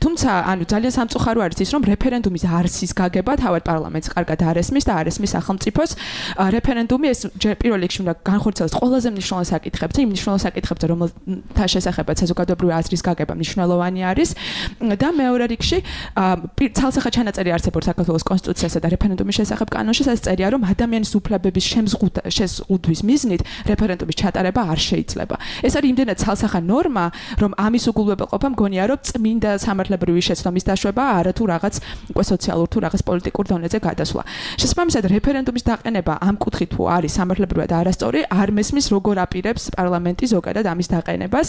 თუმცა ანუ ძალიან სამწუხარო არის ის, რომ რეფერენდუმის არსის გაგება თავად პარლამენტს კარგად არ ესმის და არ ესმის სახელმწიფოს. რეფერენდუმი ეს პირველ რიგში უნდა განხორციელოს ყველაზე მნიშვნელოვან საკითხებზე, იმ მნიშვნელოვან საკითხებზე, რომელთა შესახებაც საზოგადოებრივი აზრის გაგება მნიშვნელოვანი არის და მეორე რიგში ცალსახად ჩანაწერი არსებობს საქართველოს კონსტიტუციასა და რეფერენდუმის შესახებ კანონში, სადაც წერია, რომ ადამიანის უფლებების შეზღუდვის მიზნით რეფერენდუმის ჩატარება არ შეიძლება. ეს არის იმდენად ცალსახა ნორმა, რომ ამის უგულვებელყოფა მგონია, რომ წმინდა სამართლებრივი შეცდომის დაშვება, არა თუ რაღაც უკვე სოციალურ თუ რაღაც პოლიტიკურ დონეზე გადასვლა. შესაბამისად, რეფერენდუმის დაყენება ამ კუთხით თუ არის სამართლებრივად არასწორი, არ მესმის როგორ აპირებს პარლამენტი ზოგადად ამის დაყენებას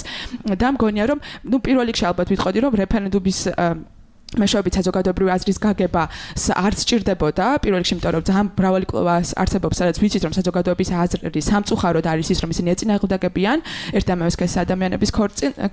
და მგონია, რომ ნუ პირველ რიგში ალბათ ვიტყოდი, რომ რეფერენდუმის მეშვეობით საზოგადოებრივი აზრის გაგება არ სჭირდებოდა პირველ რიგში, იმიტომ რომ ძალიან მრავალი კვლევა არსებობს, სადაც ვიცით, რომ საზოგადოების აზრი სამწუხაროდ არის ის, რომ ისინი ეწინააღმდეგებიან ერთ და იმავე სქესის ადამიანების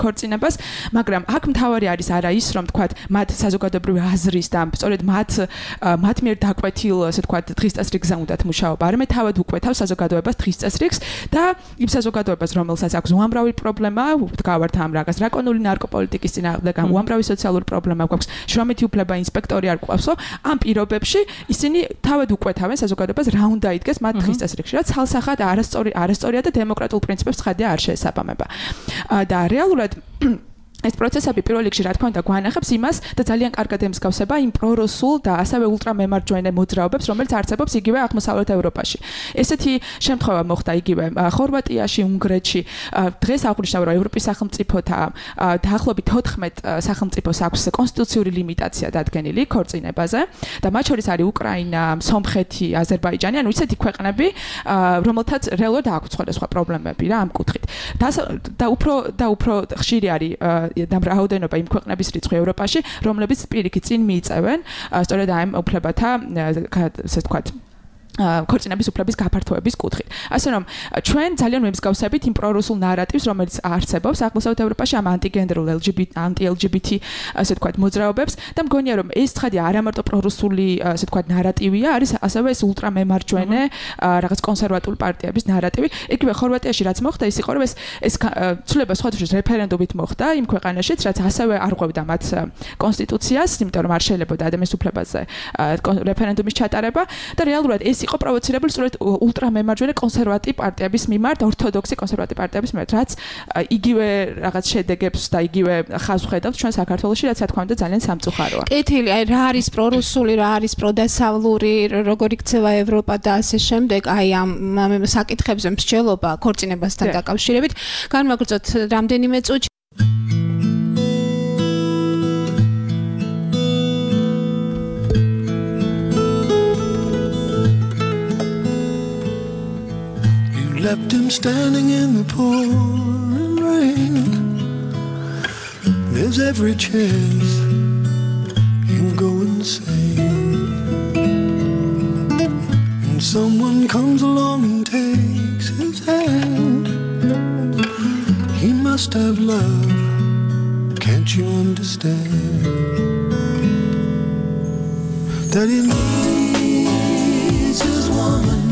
ქორწინებას, მაგრამ აქ მთავარი არის არა ის, რომ თქვათ მათ საზოგადოებრივი აზრის და სწორედ მათ მიერ დაკვეთილ, ასე თქვათ, დღის წესრიგზე უნდათ მუშაობა, არამედ თავად უკვეთავს საზოგადოებას დღის წესრიგს და იმ საზოგადოებას, რომელსაც აქვს უამრავი პრობლემა, ვდგავართ ამ რაღაც დრაკონული ნარკოპოლიტიკის წინააღმდეგ, უამრავი სოციალური პრობლემა გვაქვს, შრომითი უფლება ინსპექტორი არ გვყავსო, ამ პირობებში ისინი თავად უკვეთავენ საზოგადოებას რა უნდა იდგეს მათ დღის წესრიგში, რაც ცალსახად არასწორია და დემოკრატიულ პრინციპებს ხედია არ შეესაბამება. და რეალურად ეს პროცესები პირველ რიგში რა თქმა უნდა გვანახებს იმას და ძალიან კარგად ემსგავსება იმ პრორუსულ და ასევე ულტრამემარჯვენე მოძრაობებს, რომელიც არსებობს იგივე აღმოსავლეთ ევროპაში. ესეთი შემთხვევა მოხდა იგივე ხორვატიაში, უნგრეთში. დღეს აღნიშნავ, რომ ევროპის სახელმწიფოთა დაახლოებით 14 სახელმწიფოს აქვს კონსტიტუციური ლიმიტაცია დადგენილი ქორწინებაზე და მათ შორის არის უკრაინა, სომხეთი, აზერბაიჯანი, ანუ ისეთი ქვეყნები, რომელთაც რეალურად აქვს სხვადასხვა პრობლემები რა ამ კუთხით. და უფრო ხშირი არის და რაოდენობა იმ ქვეყნების რიცხვი ევროპაში, რომლებიც პირიქით წინ მიიწევენ სწორედ ამ უფლებათა, ასე ვთქვათ, ქორწინების უფლების გაფართოების კუთხით. ასე რომ ჩვენ ძალიან მემსგავსებით იმ პრორუსულ ნარატივს, რომელიც არსებობს აღმოსავლეთ ევროპაში ამ ანტიგენდერულ ანტი-LGBT ასე ვთქვათ მოძრაობებს და მგონია რომ ეს ცხადი არა მარტო პრორუსული ასე ვთქვათ ნარატივია, არის ასევე ეს ულტრამემარჯვენე რაღაც კონსერვატული პარტიების ნარატივი. იგივე ხორვატიაში რაც მოხდა, ის იყო რომ ეს ცვლილება სხვადასხვა რეფერენდუმით მოხდა იმ ქვეყანაშიც, რაც ასევე არ ყვებდა მათ კონსტიტუციას, იმიტომ რომ არ შეიძლებოდა ადამიანის უფლებაზე რეფერენდუმის ჩატარება და რეალურად ეს იყო პროვოცირებული სწორედ ულტრამემარჯვენე კონსერვატივ პარტიების მიმართ, ორთოდოქსი კონსერვატივ პარტიების მიმართ, რაც იგივე რაღაც შედეგებს და იგივე ხაზს ხედავს ჩვენ საქართველოში, რაც რა თქმა უნდა ძალიან სამწუხაროა. კეთილი, აი რა არის პრორუსული, რა არის პროდასავლური, როგორ იქცევა ევროპა და ასე შემდეგ, აი ამ საკითხებზე მსჯელობა ქორწინებასთან დაკავშირებით. განვაგრძოთ რამდენიმე წუთში. Left him standing in the pouring rain. There's every chance he'll go insane. And someone comes along and takes his hand. He must have love, can't you understand? That he needs his woman.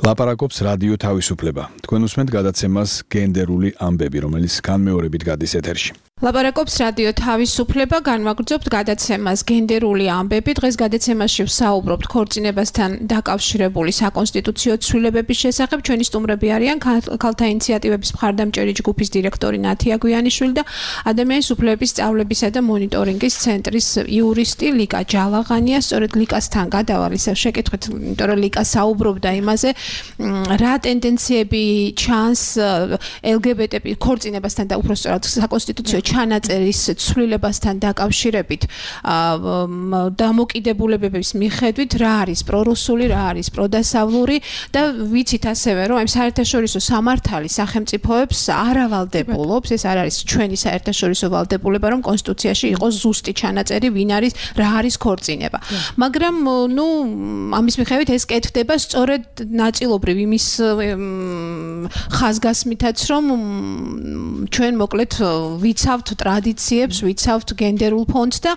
ლაპარაკობს რადიო თავისუფლება. თქვენ უსმენთ გადაცემას გენდერული ამბები, რომელიც განმეორებით გადის ეთერში. ლაპარაკობს რადიო თავისუფლება, განვაგრძობთ გადაცემას გენდერული ამბები. დღეს გადაცემაში ვსაუბრობთ ქორწინებასთან დაკავშირებული საკონსტიტუციო ცვლილებების შესახებ. ჩვენი სტუმრები არიან ქალთა ინიციატივების მხარდამჭერი ჯგუფის დირექტორი ნათია გვიანიშვილი და ადამიანის უფლებების სწავლებისა და მონიტორინგის ცენტრის იურისტი ლიკა ჯალაღანია. სწორედ ლიკასთან გადავალ ისევ შეკითხვით, იმიტომ რომ ლიკა საუბრობდა იმაზე, რა ტენდენციები ჩანს LGBT ქორწინებასთან და უბრალოდ საკონსტიტუციო ჩანაწერის ცვლილებასთან დაკავშირებით დამოკიდებულებების მიხედვით რა არის პრორუსული, რა არის პროდასავლური და ვიცით ასევე რომ ამ საერთაშორისო სამართალი სახელმწიფოებს არ ავალდებულობს, ეს არ არის ჩვენი საერთაშორისო ვალდებულება, რომ კონსტიტუციაში იყოს ზუსტი ჩანაწერი, ვინ არის, რა არის ქორწინება. მაგრამ ამის მიხედვით ეს კეთდება სწორედ ნაწილობრივ იმის ხაზგასმითაც, რომ ჩვენ მოკლედ ვიცავთ ტრადიციებს, ვიცავთ გენდერულ ფონდს და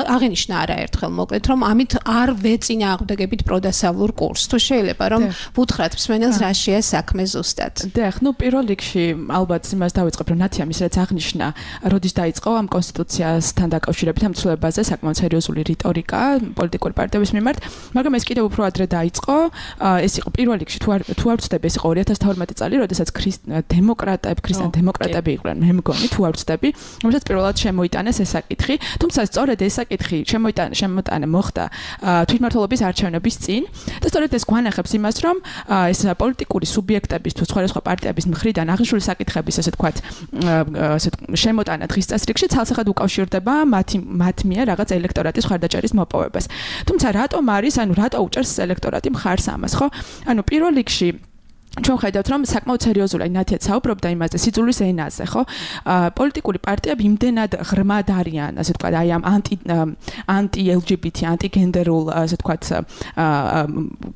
აღინიშნა არაერთხელ მოკლედ, რომ ამით არ ვეწინააღმდეგებით პროდასავლურ კურსს. თუ შეიძლება რომ ვუთხრათ მსმენელს რა შეა საქმე ზუსტად. დიახ, პირველ რიგში ალბათ იმას დავიწყებ, რომ ნათია მის რაც აღნიშნა, როდის დაიწყო ამ კონსტიტუციასთან დაკავშირებით ამ ცვლილებაზე საკმაოდ სერიოზული რიტორიკა პოლიტიკური პარტიების მიმართ, მაგრამ ეს კიდევ უფრო ადრე დაიწყო. ეს იყო პირველ რიგში თუ არ ვცდები, ეს იყო 2012 წელი, როდესაც ქრისტიან დემოკრატები იყვნენ, მე მგონი, თუ არ ვცდები, რომელსაც პირველად შემოიტანეს ეს საკითხი, თუმცა სწორედ ეს საკითხი შემოტანა მოხდა თვითმმართველობის არჩევნების წინ და სწორედ ეს გვანახებს იმას, რომ ეს პოლიტიკური სუბიექტების თუ სხვადასხვა პარტიების მხრიდან აღნიშნული საკითხების ასე თქვათ შემოტანა დღის წესრიგში ცალსახად უკავშირდება მათ მიერ რაღაც ელექტორატის მხარდაჭერის მოპოვებას. თუმცა რატომ უჭერს ელექტორატი მხარს ამას, ხო? პირველ რიგში ჩვენ ხედავთ, რომ საკმაოდ სერიოზულად ნათიაც საუბრობდა იმაზე სიძულვის ენაზე, ხო? პოლიტიკური პარტიები იმდენად ღრმად არიან, ასე ვთქვათ, აი ამ ანტი-LGBT, ანტიგენდერულ, ასე ვთქვათ,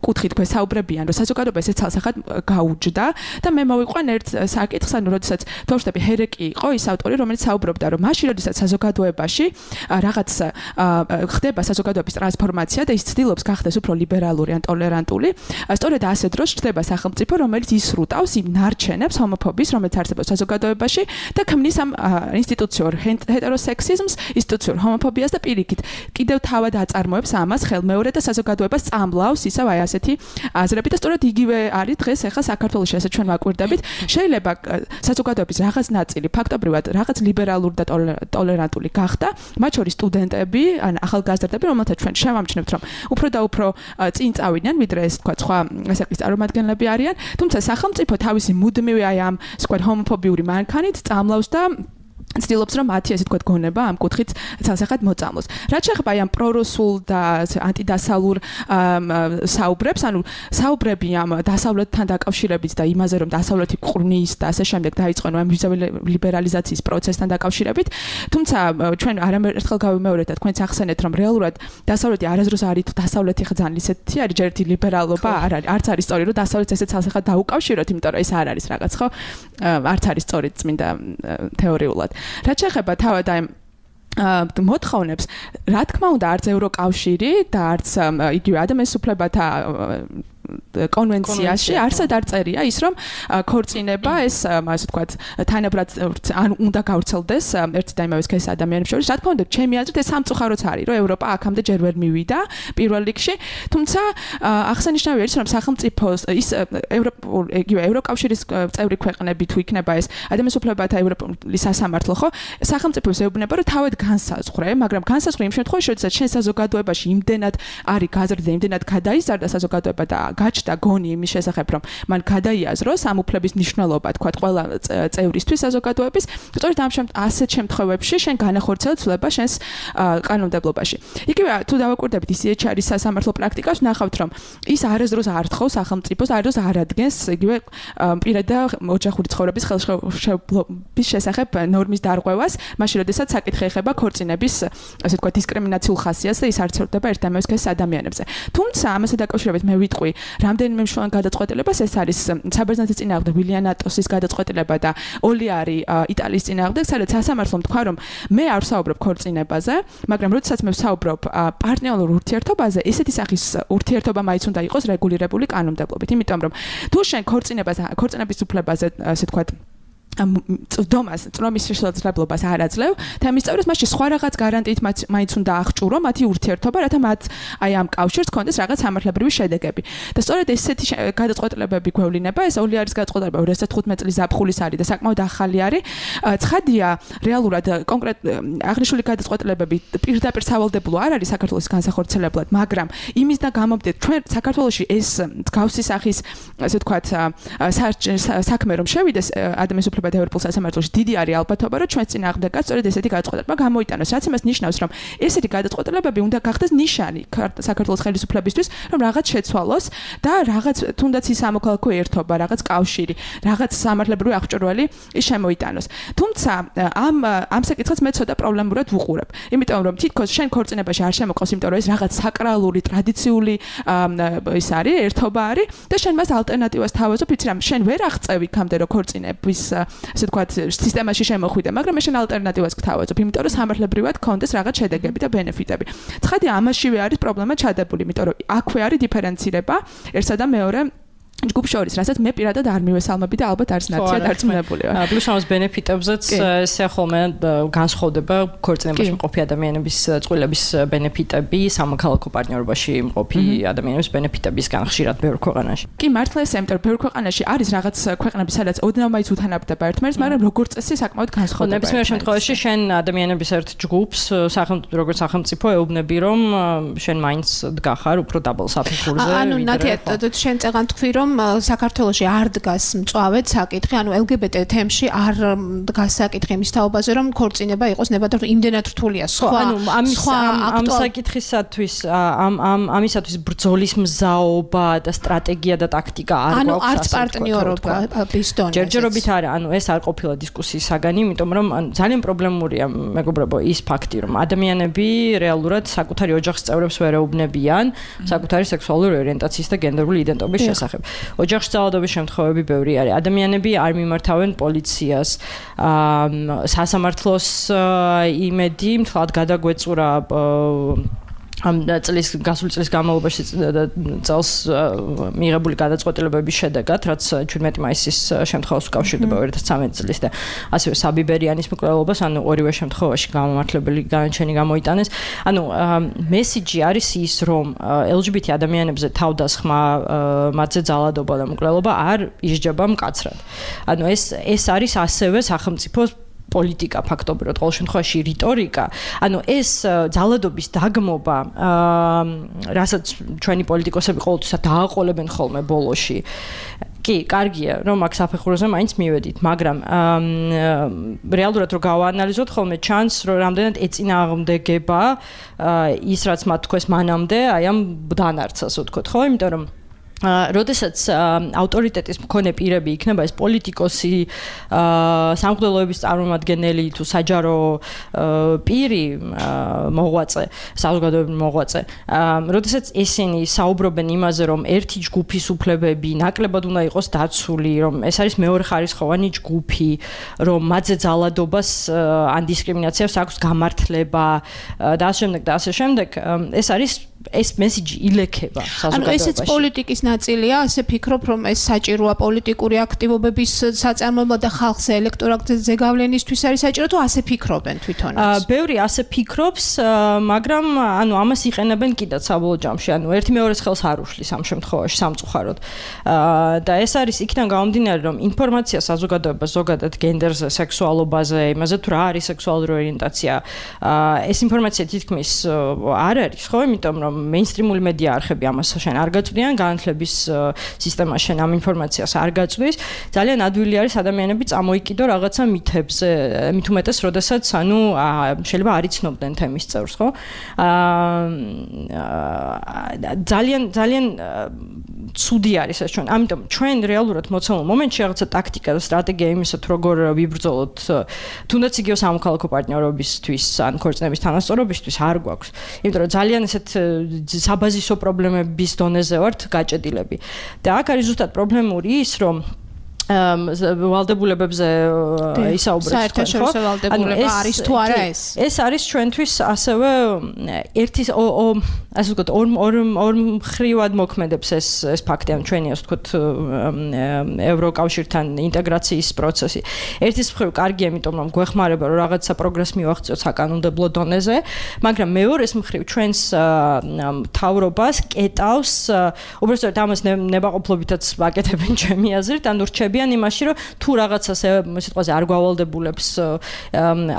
კუთხით გვესაუბრებიან, რომ საზოგადოება ესე ცალსახად გაუჯდა და მე მოვიყვან ერთ საკითხს, როდესაც თორშტები ჰერეკი იყო ის ავტორი, რომელიც საუბრობდა, რომ მაშინ, როდესაც საზოგადოებაში რაღაც ხდება საზოგადოების ტრანსფორმაცია და ის ცდილობს გახდეს უფრო ლიბერალური ან ტოლერანტული, სწორედ ასე დროს ჩნდება სახელმწიფო, რომელიც ისრუტავს იმ ნარჩენებს ჰომოფობიის, რომელიც არსებობს საზოგადოებაში და ქმნის ამ ინსტიტუციურ ჰეტეროსექსიზმს, ინსტიტუციურ ჰომოფობიას და პირიქით კიდევ თავად აწარმოებს ამას ხელმეორე და საზოგადოებას წამლავს ისევ აი ასეთი აზრები და სწორედ იგივე არის დღეს ახლა საქართველოში, ასე ჩვენ ვაკვირდებით. შეიძლება საზოგადოების რაღაც ნაწილი ფაქტობრივად რაღაც ლიბერალური და ტოლერანტული გახდა, მათ შორის სტუდენტები, ან ახალგაზრდები, რომელთაც ჩვენ შევამჩნევთ, რომ უფრო და უფრო წინ წავიდნენ, ვიდრე ეს თქვა სხვა ასაკის წარმომადგენლები არიან. თუმცა სახელმწიფო თავისი მუდმივი აი ამ სხვა ჰომოფობიური მანქანით წამლავს და ცდილობს რომ მათი ასე თქვა გონება ამ კუთხით ცალსახად მოწამლოს. რაც შეეხება აი ამ პრორუსულ და ანტიდასავლურ საუბრებს, საუბრები ამ დასავლეთთან დაკავშირებით და იმაზე რომ დასავლეთი ყრნის და ასე შემდეგ დაიწყონ ამ ვიზა ლიბერალიზაციის პროცესთან დაკავშირებით. თუმცა ჩვენ არამერთხელ გავიმეორეთ და თქვენც ახსენეთ რომ რეალურად დასავლეთი არასდროს არ არის დასავლეთი ხძან ისეთი არის ჯერ ერთი ლიბერალობა არ არის. არც არის სწორი რომ დასავლეთს ესე ცალსახად დაუკავშიროთ, იმიტომ რომ ეს არ არის რაღაც ხო? არც არის სწორი წმინდა თეორიულად. რაც შეეხება თავად აი მოთხოვნებს, რა თქმა უნდა, არც ევროკავშირი და არც იგივე ადამიანის უფლებათა კონვენციაში არსად არ წერია ის რომ ქორწინება ეს ასე ვთქვათ თანაბრად ან უნდა გავრცელდეს ერთი და იმავე სქესის ადამიანებს შორის. რა თქმა უნდა, ჩემი აზრით ეს სამწუხაროც არის, რომ ევროპა აქამდე ჯერ ვერ მივიდა პირველ რიგში, თუმცა აღსანიშნავია ის რომ სახელმწიფოს ის ევროკავშირის წევრი ქვეყნები თუ იქნება ეს ადამიანის უფლებათა ევროპული სასამართლო, ხო, სახელმწიფოს ეუბნება რომ თავად განსაზღვრე, მაგრამ განსაზღვრე იმ შემთხვევაში, როდესაც შენ საზოგადოებაში იმდენად არის გაზრდა, იმდენად გადაიზარდა საზოგადოება და გაჩნდა გონი იმის შესახებ, რომ მან გადაიაზროს ამ უფლების მნიშვნელობა, თქვა ყველა წევრისთვის საზოგადოების, სწორედ ამ ასეთ შემთხვევებში შენ განახორციელ ცვლილება შენს კანონმდებლობაში. იგივე თუ დავაკვირდებით ICHR-ის სასამართლო პრაქტიკას, ნახავთ, რომ ის არასდროს არ თხოვს სახელმწიფოს, არასდროს არ ადგენს იგივე პირადა ოჯახური ცხოვრების ხელშეუხლობის შესახებ ნორმის დარღვევას, მაშინ როდესაც საკითხი ეხება ქორწინების, ასე ვთქვათ, დისკრიმინაციულ ხასიათს და ის არ ცხადდება ერთ და იმავე სქესის ადამიანებზე. თუმცა ამასთან დაკავშირებით მე ვიტყვი, რა რამდენიმე მნიშვნელოვან გადაწყვეტილებას ეს არის საბერძნეთის წინააღმდეგ ვილიანატოსის გადაწყვეტილება და ოლიარი იტალიის წინააღმდეგ, სადაც სასამართლომ თქვა, რომ მე არ ვსაუბრობ ქორწინებაზე, მაგრამ როდესაც მე ვსაუბრობ პარტნიორულ ურთიერთობაზე, ესეთი სახის ურთიერთობა მაინც უნდა იყოს რეგულირებული კანონმდებლობით, იმიტომ რომ თუ შენ ქორწინების უფლებაზე, ასე ვთქვათ, წრომის შესაძლებლობას არ აძლევ და ამის წევრებს მასში სხვა რაღაც გარანტიით მაინც უნდა აღჭურო მათი ურთიერთობა, რათა მათ აი ამ კავშირს კონდეს რაღაც სამართლებრივი შედეგები. და სწორედ ესეთი გადაწყვეტილებები გვევლინება, ეს ოლიარის გადაწყვეტილება 2015 წლის ზაფხულის არის და საკმაოდ ახალი არის. ცხადია, რეალურად კონკრეტ აღნიშნული გადაწყვეტილებები პირდაპირ სავალდებულო არ არის საქართველოს განსახორციელებლად, მაგრამ იმისგან გამომდინარე, ჩვენ საქართველოში ეს მსგავსი სახის, ასე ვთქვათ, საქმე რომ შევიდეს ადამიანის უფლებათა ევროპულ სასამართლოში, დიდი არის ალბათობა, რომ ჩვენს წინააღმდეგაც სწორედ ესეთი გადაწყვეტილება გამოიტანოს, რაც იმას ნიშნავს, რომ ესეთი გადაწყვეტილებები უნდა გახდეს ნიშანი საქართველოს ხელისუფლებისთვის, რომ რაღაც შეცვალოს და რაღაც თუნდაც ის სამოქალაქო ერთობა, რაღაც კავშირი, რაღაც სამართლებრივი აღჭურველი ის შემოიტანოს. თუმცა ამ საკითხს მე ცოტა პრობლემურად ვუყურებ. იმიტომ რომ თითქოს შენ ქორწინებაში არ შემოყავს, იმიტომ რომ ეს რაღაც საკრალური, ტრადიციული ის არის, ერთობა არის და შენ მას ალტერნატივას თავაზობ, იცი რა, შენ ვერ აღწევი იქამდე რომ ქორწინების ასე ვთქვათ, სისტემაში შემოხვიდე, მაგრამ შენ ალტერნატივას გთავაზობ, იმიტომ რომ სამართლებრივად კონდეს რაღაც შედეგები და ბენეფიტები. ცხადია, ამაშივე არის პრობლემა ჩადებული, იმიტომ რომ აქვე არის დიფერენცირება ერთსა და მეორე ჯგუფ შორის, რასაც მე პირადად არ მივესალმები და ალბათ არც ნაცია დარწმუნებული ვარ. პლუს ამას ბენეფიტებზეც ესე ხოლმე განსხვავდება ქორწინებაში მყოფი ადამიანების წყვილების ბენეფიტები სამოქალაქო პარტნიორობაში მყოფი ადამიანების ბენეფიტებისგან ხშირად ბევრ ქვეყანაში. კი, მართლა ესე, იმიტომ რომ ბევრ ქვეყანაში არის რაღაც ქვეყნები, სადაც ოდნავ მაინც უთანაბრდება ერთმანეთს, მაგრამ როგორც წესი საკმაოდ განსხვავდება. ნებისმიერ შემთხვევაში შენ ადამიანების ერთ ჯგუფს, როგორც სახელმწიფო ეუბნები, რომ შენ მაინც დგახარ უფრო დაბალ საფეხურზე. ანუ ნათია, შენ წეგან თქვი, რომ საქართველოში არ დგას მწვავედ საკითხი, ანუ LGBT თემში არ დგას საკითხი იმის თაობაზე, რომ ქორწინება იყოს ნებადართული, იმდენად რთულია სხვა. ანუ ამ საკითხისათვის, ამისათვის ბრძოლის მზაობა და სტრატეგია და ტაქტიკა არ გვაქვს. ანუ არც პარტნიორობა ბისტონი. ჯერჯერობით არა, ანუ ეს არ ყოფილა დისკუსიის საგანი, იმიტომ რომ ძალიან პრობლემურია, მეგობრებო, ის ფაქტი, რომ ადამიანები რეალურად საკუთარი ოჯახის წევრებს ვერ ეუბნებიან საკუთარი სექსუალური ორიენტაციის და გენდერული იდენტობის შესახებ. ოჯახში ძალადობის შემთხვევები ბევრი არის. ადამიანები არ მიმართავენ პოლიციას, სასამართლოს იმედი მთლად გადაგვეწურა ამ გასული წლის განმავლობაში წელს მიღებული გადაწყვეტილებების შედეგად, რაც 17 მაისის შემთხვევას უკავშირდება 2013 წლის და ასევე საბიბერიანის მკვლელობას, ანუ ორივე შემთხვევაში გამომართლებელი განაჩენი გამოიტანეს. ანუ მესიჯი არის ის, რომ LGBT ადამიანებზე თავდასხმა, მათზე ძალადობა და მკვლელობა არ ისჯება მკაცრად. ანუ ეს არის ასევე სახელმწიფოს პოლიტიკა ფაქტობრივად, ყოველ შემთხვევაში რიტორიკა. ანუ ეს ძალადობის დაგმობა, რასაც ჩვენი პოლიტიკოსები ყოველთვის დააყოლებენ ხოლმე ბოლოში. კი, კარგია, რომ აქ საფეხურზე მაინც მივედით, მაგრამ რეალურად რო გავაანალიზოთ, ხოლმე ჩანს, რომ რამდენად ეწინააღმდეგება ის, რაც მათ თქვეს მანამდე, აი ამ დანარცას ვთქვათ, ხო? იმიტომ რომ როდესაც ავტორიტეტის მქონე პირები იქნება ეს პოლიტიკოსი, სამღვდელოების წარმომადგენელი თუ საჯარო პირი, მოღვაწე, საზოგადოებრივი მოღვაწე, როდესაც ესენი საუბრობენ იმაზე, რომ ერთი ჯგუფის უფლებები ნაკლებად უნდა იყოს დაცული, რომ ეს არის მეორეხარისხოვანი ჯგუფი, რომ მათზე ძალადობას ან დისკრიმინაციას აქვს გამართლება და ასე შემდეგ, ეს არის ეს მესიჯი ილექება საზოგადოებაში. ანუ ესეც პოლიტიკის ნაწილია, ასე ფიქრობ, რომ ეს საჭიროა პოლიტიკური აქტივობების საწარმოებლად და ხალხს ელექტორატზე ზეგავლენისთვის არის საჭირო თუ ასე ფიქრობენ თვითონაც? ბევრი ასე ფიქრობს, მაგრამ ანუ ამას იყენებენ კიდაც საბოლოო ჯამში. ანუ ერთი მეორეს ხელს არ უშლის ამ შემთხვევაში სამწუხაროდ. და ეს არის იქიდან გამომდინარე, რომ ინფორმაცია საზოგადოებას ზოგადად გენდერზე, სექსუალობაზე, იმაზე თუ რა არის სექსუალური ორიენტაცია, ეს ინფორმაცია თითქმის არ არის, ხო? იმიტომ რომ მეინსტრიმული მედია არხები ამას შენ არ გაწვდიან, განათლების სისტემა შენ ამ ინფორმაციას არ გაწვდის. ძალიან ადვილი არის ადამიანები წამოიკიდო რაღაცა მითებზე, მით უმეტეს, როდესაც ანუ შეიძლება არ იცნობდნენ თემის წევრს, ხო? ძალიან ცუდი არის ეს ჩვენ. ამიტომ ჩვენ რეალურად მოცემულ მომენტში რაღაცა ტაქტიკა და სტრატეგია იმისა, თუ როგორ ვიბრძოლოთ, თუნდაც იგივე სამოქალაქო პარტნიორობისთვის ან ქორწინების თანასწორობისთვის არ გვაქვს. იმიტომ რომ ძალიან ესეთ საბაზისო პრობლემების დონეზე ვართ გაჭედილი გადაწყვეტილები. და აქ არის ზუსტად პრობლემური ის, რომ ვალდებულებებზე ისაუბრეთ საერთაშორისო ვალდებულება არის თუ არა ეს? ეს არის ჩვენთვის ასევე ერთის ასე ვთქვათ ორ მხრივად მოქმედებს ეს ფაქტი, ან ჩვენი ასე ვთქვათ ევროკავშირთან ინტეგრაციის პროცესი. ერთის მხრივ კარგია, იმიტომ რომ გვეხმარება რომ რაღაცა პროგრესი მივაღწიოთ საკანონმდებლო დონეზე, მაგრამ მეორეს მხრივ ჩვენს მთავრობას კეტავს, უბრალოდ ამას ნებაყოფლობითაც ვაკეთებენ ჩემი აზრით, ანუ რჩებიან იმაში, რომ თუ რაღაცას სიტყვაზე არ გავალდებულებს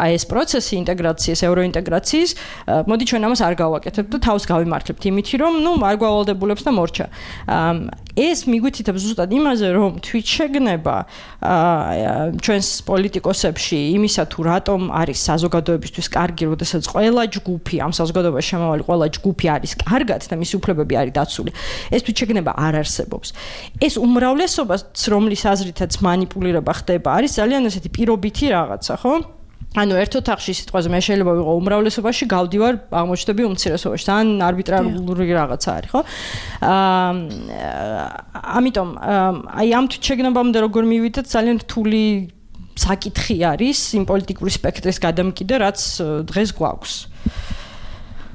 აი ეს პროცესი ინტეგრაციის, ევროინტეგრაციის, მოდი ჩვენ ამას არ გავაკეთებთ და თავს გავიმართლებთ იმითი, რომ არ გავალდებულებს და მორჩა. ეს მიგვითითებს ზუსტად იმაზე, რომ თვითშეგნება ჩვენს პოლიტიკოსებში იმისა თუ რატომ არის საზოგადოებისთვის კარგი, როდესაც ყველა ჯგუფი ამ საზოგადოებაში შემავალი ყველა ჯგუფი არის კარგად და მისი უფლებები არის დაცული. ეს თვითშეგნება არ არსებობს. ეს უმრავლესობას, რომლის აზრითაც მანიპულირება ხდება, არის ძალიან ესეთი პირობითი რაღაცა, ხო? ანუ ერთ ოთახში სიტყვაზე მე შეიძლება ვიყო უმრავლესობაში, გავდივარ აღმოჩნდები უმცირესობაში, თან არბიტრარული რაღაცა არის, ხო? ამიტომ აი ამ თვითშეგნებამდე როგორ მივიდეთ, ძალიან რთული საკითხი არის იმ პოლიტიკური სპექტრის გადამკიდე, რაც დღეს გვაქვს.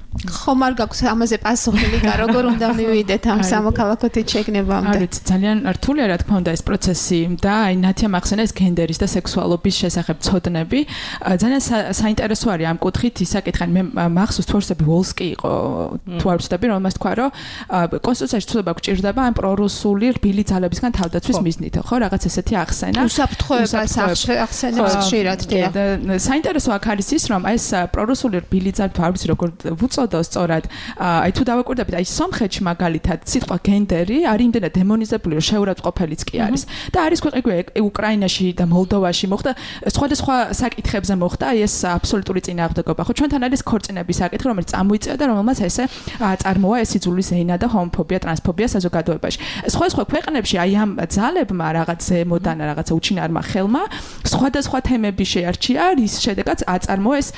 ხომ არ გაქვს ამაზე პასუხი, ლიკა, როგორ უნდა მივიდეთ ამ სამოქალაქო თვითშეგნებამდე? არის ძალიან რთულია, რა თქმა უნდა, ეს პროცესი და აი ნათია მახსენა ეს გენდერის და სექსუალობის შესახებ ცოდნები. ძალიან საინტერესო არის ამ კუთხით ის საკითხი. მე მახსოვს თორსები ვოლსკი იყო, თუ არ ვცდები, რომელმაც თქვა, რომ კონსტიტუციაში ცვლილება გვჭირდება ამ პრორუსული რბილი ძალებისგან თავდაცვის მიზნით, ხო? რაღაც ესეთი ახსენა. უსაფრთხოებას ახსენებს ხშირად, დიახ. საინტერესო აქ არის ის, რომ ეს პრორუსული რბილი ძალა თუ არ ვიცი როგორ უწოდო სწორად, აი თუ დავაკვირდებით, აი სომხეთში მაგალითად სიტყვა გენდერი არის იმდენად დემონიზებული, რომ შეურაცხყოფელიც კი არის. და არის ქვეყნები უკრაინაში და მოლდოვაში მოხდა სხვადასხვა საკითხებზე მოხდა აი ეს აბსოლუტური წინააღმდეგობა. ხო, ჩვენთან არის ქორწინების საკითხი, რომელიც წამოიწია და რომელმაც ესე წარმოა ეს იძულის ზეინა და ჰომოფობია, ტრანსფობია საზოგადოებაში. სხვა ქვეყნებში აი ამ ძალებმა რაღაც ზემოდან რაღაცა უჩინარმა ხელმა სხვადასხვა თემები შეარჩია, რის შედეგად აწარმოა ეს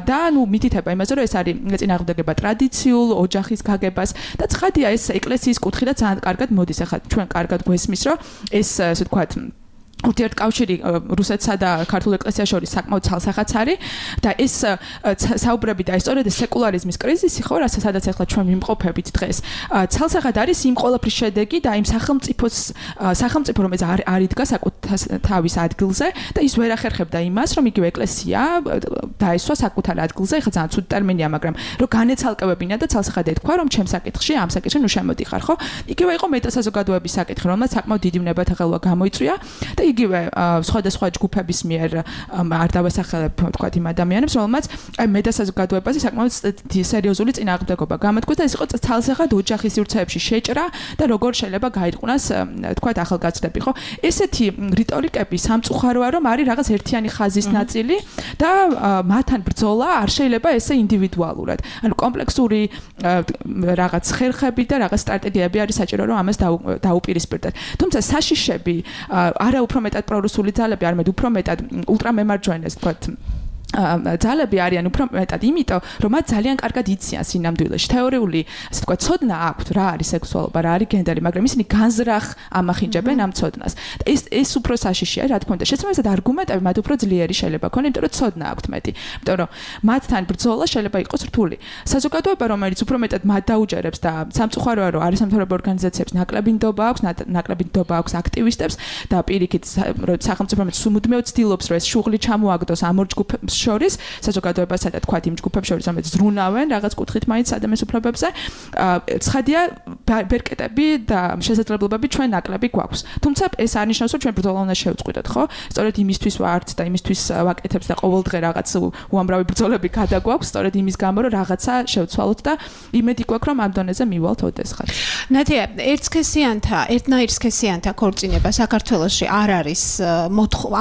და ნუ მითითება იმაზე, რომ ეს არის წინააღმდეგობა ტრადიციულ ოჯახის გაგებას და ცხადია ეს ეკლესიის კუთხე და ძალიან კარგად მოდის. ახლა ჩვენ კარგად გვესმის, რომ ეს ასე ვთქვათ ურთიერთკავშირი რუსეთსა და ქართულ ეკლესიას შორის საკმაოდ ცალსახაც არის და ეს საუბრები და სწორედ სეკულარიზმის კრიზისი ხო, სადაც ახლა ჩვენ მიმყოფებით დღეს, ცალსახად არის იმ ყველაფრის შედეგი და იმ სახელმწიფო რომელიც არ იდგა საკუთარ ადგილზე და ის ვერ ახერხებდა იმას, რომ იგივე ეკლესია დაესვა საკუთარ ადგილზე, ახლა ძალიან ცუდი ტერმინია, მაგრამ რომ განეცალკევებინა და ცალსახად ეთქვა, რომ ჩემს საკითხში ამ საკითხში ნუ შემოდიხარ, ხო? იგივე იყო მეტასაზოგადოების საკითხი, რომელმაც საკმაოდ დიდი ვნებათაღელვა გამოიწვია და იგივე სხვადასხვა ჯგუფების მიერ არ დავასახელებ თქვათ იმ ადამიანებს, რომელმაც აი მეტასაზოგადოებაზე საკმაოდ სერიოზული წინააღმდეგობა გამოთქვეს და ეს იყო ცალსახად ოჯახის სივრცეებში შეჭრა და როგორ შეიძლება გაიტყვნას თქვათ ახალგაზრდები, ხო? ესეთი რიტორიკები სამწუხაროა, რომ არის რაღაც ერთიანი ხაზის ნაწილი და მათთან ბრძოლა არ შეიძლება ესე ინდივიდუალურად. ანუ კომპლექსური რაღაც ხერხები და რაღაც სტრატეგიები არის საჭირო, რომ ამას დაუპირისპირდეთ. თუმცა საშიშები არა უფრო მეტად პრორუსული ძალები, არამედ უფრო მეტად ულტრამემარჯვენეს, თქვათ ძალები არიან უფრო მეტად იმიტომ, რომ მათ ძალიან კარგად იციან სინამდვილეში. თეორიული, ასე ვთქვათ, ცოდნა აქვთ, რა არის სექსუალობა, რა არის გენდერი, მაგრამ ისინი განზრახ ამახინჯებენ ამ ცოდნას. და ეს უფრო საშიშია, რა თქმა უნდა. შესაბამისად, არგუმენტები მათ უფრო ძლიერი შეიძლება ქონონ, იმიტომ რომ ცოდნა აქვთ მეტი. იმიტომ რომ მათთან ბრძოლა შეიძლება იყოს რთული. საზოგადოება, რომელიც უფრო მეტად მათ დაუჯერებს და სამწუხაროა, რომ არასამთავრობო ორგანიზაციებს ნაკლები ნდობა აქვს აქტივისტებს და პირიქით სახელმწიფო რომელიც სულ ცდილობს, რომ ეს შუღლი ჩამოაგდოს ამ ორ ჯგუფს შორის, საზოგადოებასა და თქვათ იმ ჯგუფებს შორის, რომელიც ზრუნავენ რაღაც კუთხით მაინც ადამიანის უფლებებზე, ცხადია ბერკეტები და შესაძლებლობები ჩვენ ნაკლები გვაქვს. თუმცა ეს არ ნიშნავს, რომ ჩვენ ბრძოლა უნდა შევწყვიტოთ, ხო? სწორედ იმისთვის ვართ და იმისთვის ვაკეთებთ და ყოველდღე რაღაც უამრავი ბრძოლები გადაგვაქვს, სწორედ იმის გამო, რომ რაღაცა შევცვალოთ და იმედი გვაქვს, რომ ამ დონეზე მივალთ ოდესღაც. ნათია, ერთნაირსქესიანთა ქორწინება საქართველოში არ არის,